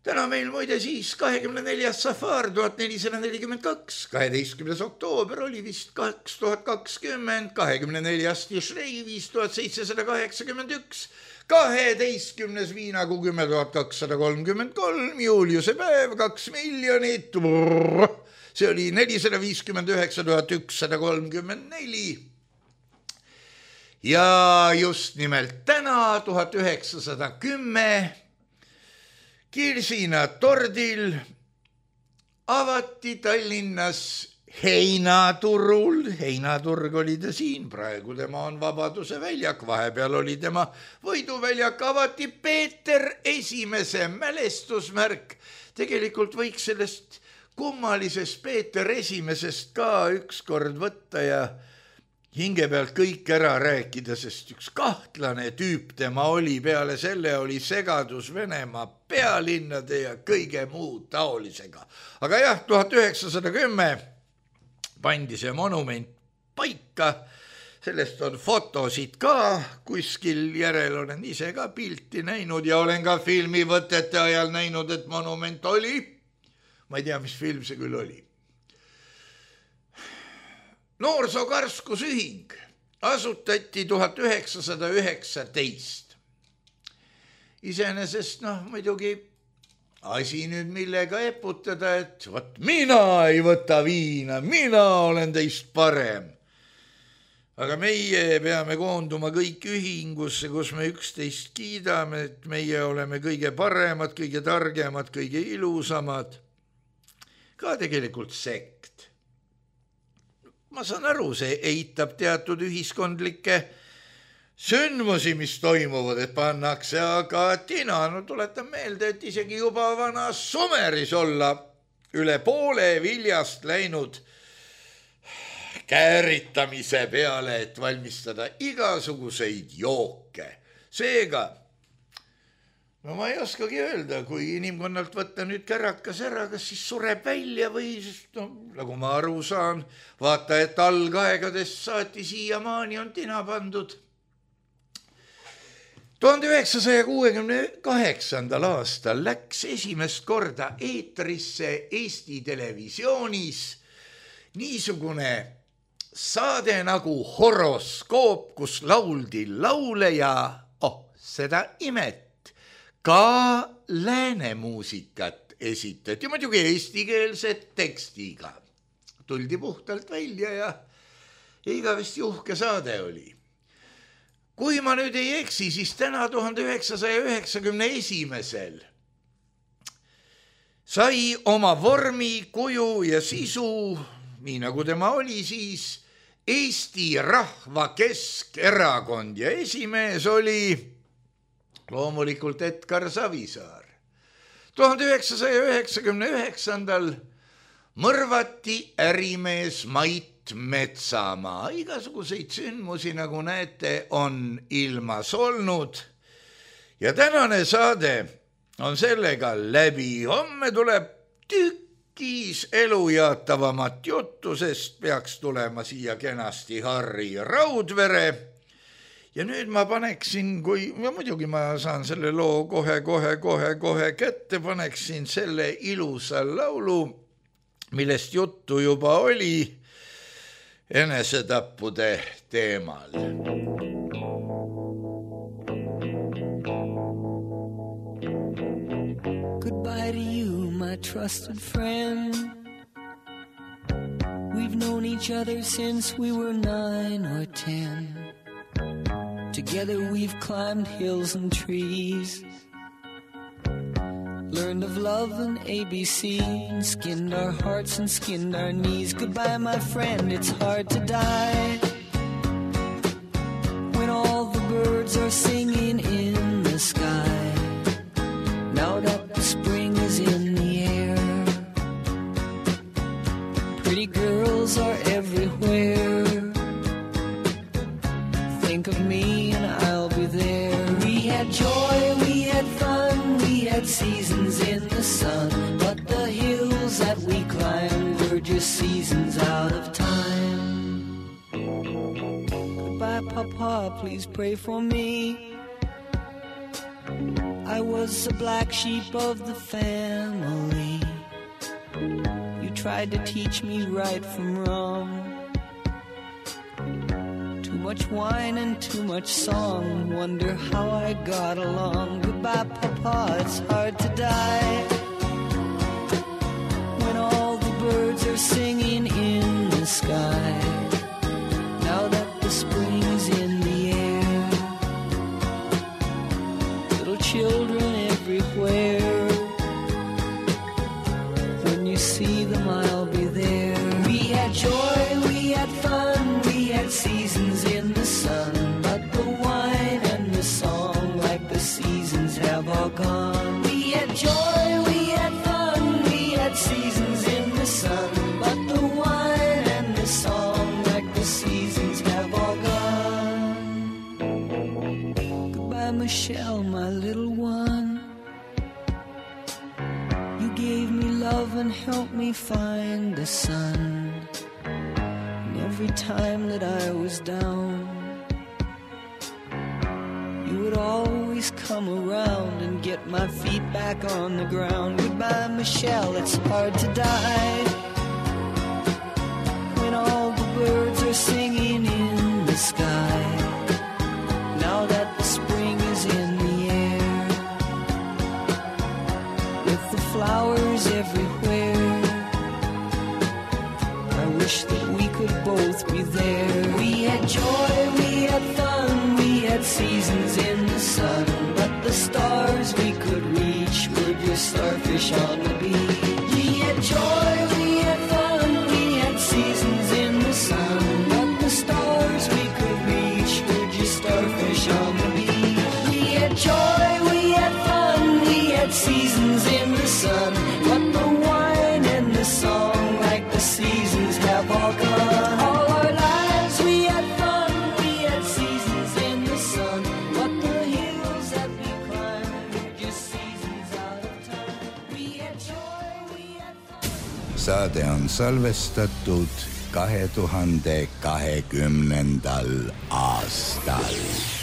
Täna meil muide siis 24. safar 1442, 12. oktoober oli vist 2020, 24. Tishrei 5781, 12. viinakuu 10.233, Juliuse päev 2 miljonit, see oli 459 134. Ja just nimelt täna 1910 Kirsina tordil avati Tallinnas Heinaturul, Heinaturg oli ta siin, praegu tema on Vabaduse väljak, vahepeal oli tema Võiduväljak, avati Peeter Esimese mälestusmärk. Tegelikult võiks sellest kummalisest Peeter Esimesest ka ükskord võtta ja hinge pealt kõik ära rääkida, sest üks kahtlane tüüp tema oli, peale selle oli segadus Venemaa pealinnade ja kõige muu taolisega. Aga jah, 1910 pandi see monument paika, sellest on fotosid ka, kuskil järel olen ise ka pilti näinud ja olen ka filmivõtete ajal näinud, et monument oli. Ma ei tea, mis film see küll oli. Noorsookarskusühing asutati 1919. Iseenesest, muidugi asi nüüd millega eputada, et võt, mina ei võta viina, mina olen teist parem. Aga meie peame koonduma kõik ühingusse, kus me üksteist kiidame, et meie oleme kõige paremad, kõige targemad, kõige ilusamad. Ka tegelikult sekt. Ma saan aru, see eitab teatud ühiskondlikke sündmusi, mis toimuvad, et pannakse, aga tina, tuletan meelde, et isegi juba vana Sumeris olla üle poole viljast läinud kääritamise peale, et valmistada igasuguseid jooke. Seega, ma ei oskagi öelda, kui inimkonnalt võtta nüüd kärakas ära, kas siis sureb välja või, nagu ma aru saan, vaata, et algaegadest saati siiamaani on tina pandud. 1968. aastal läks esimest korda eetrisse Eesti televisioonis niisugune saade nagu Horoskoop, kus lauldi laule ja, seda imet, ka lääne muusikat esitati, muidugi eestikeelset tekstiga. Tuldi puhtalt välja ja igavesti uhke saade oli. Kui ma nüüd ei eksi, siis täna 1991. sai oma vormi, kuju ja sisu, nii nagu tema oli siis, Eesti Rahva Keskerakond ja esimees oli loomulikult Edgar Savisaar. 1999. mõrvati ärimees Mait Metsamaa. Igasuguseid sündmusi, nagu näete, on ilmas olnud. Ja tänane saade on sellega läbi. Homme tuleb tükk kiis elujaatavamat juttu, sest peaks tulema siia kenasti Harri Raudvere. Ja nüüd ma paneksin, ja muidugi ma saan selle loo kohe kätte, paneksin selle ilusa laulu, millest juttu juba oli enesetappude teemal. Goodbye to you, my trusted friend. We've known each other since we were 9 or 10. Together we've climbed hills and trees, learned of love and ABC, and skinned our hearts and skinned our knees. Goodbye, my friend, it's hard to die when all the birds are singing in the sky. Now that the spring is in the air, pretty girls are everywhere. Think of me and I'll be there. We had joy, we had fun, we had seasons in the sun, but the hills that we climbed were just seasons out of time. Goodbye, Papa, please pray for me. I was the black sheep of the family. You tried to teach me right from wrong. Too much wine and too much song, wonder how I got along. Goodbye, Papa, it's hard to die when all the birds are singing in the sky. Now that the spring is in the air, little children everywhere. When you see them, I'll be there. We had joy, we had fun, we had seasons in the sun, but the wine and the song, like the seasons, have all gone. We had joy, we had fun, we had seasons in the sun, but the wine and the song, like the seasons, have all gone. Goodbye, Michelle, my little one. You gave me love and helped me find the sun. Every time that I was down, you would always come around and get my feet back on the ground. Goodbye, Michelle, it's hard to die when all the birds are singing in the sky. Now that the spring is in the air, with the flowers everywhere, I wish that we could both be there. We had joy, we had fun, we had seasons in the sun, but the stars we could reach were just starfish on the beach. We had joy, we had fun, we had seasons in the sun, but the stars we could reach were just starfish on the beach. We had joy, we had fun, we had seasons in the sun, but the wine and the song, like the seasons, have all gone. All our lives we had fun, we had seasons in the sun, but the hills that we climbed were just seasons out of time. We had joy, we had fun. Saade on salvestatud 2020. aastal.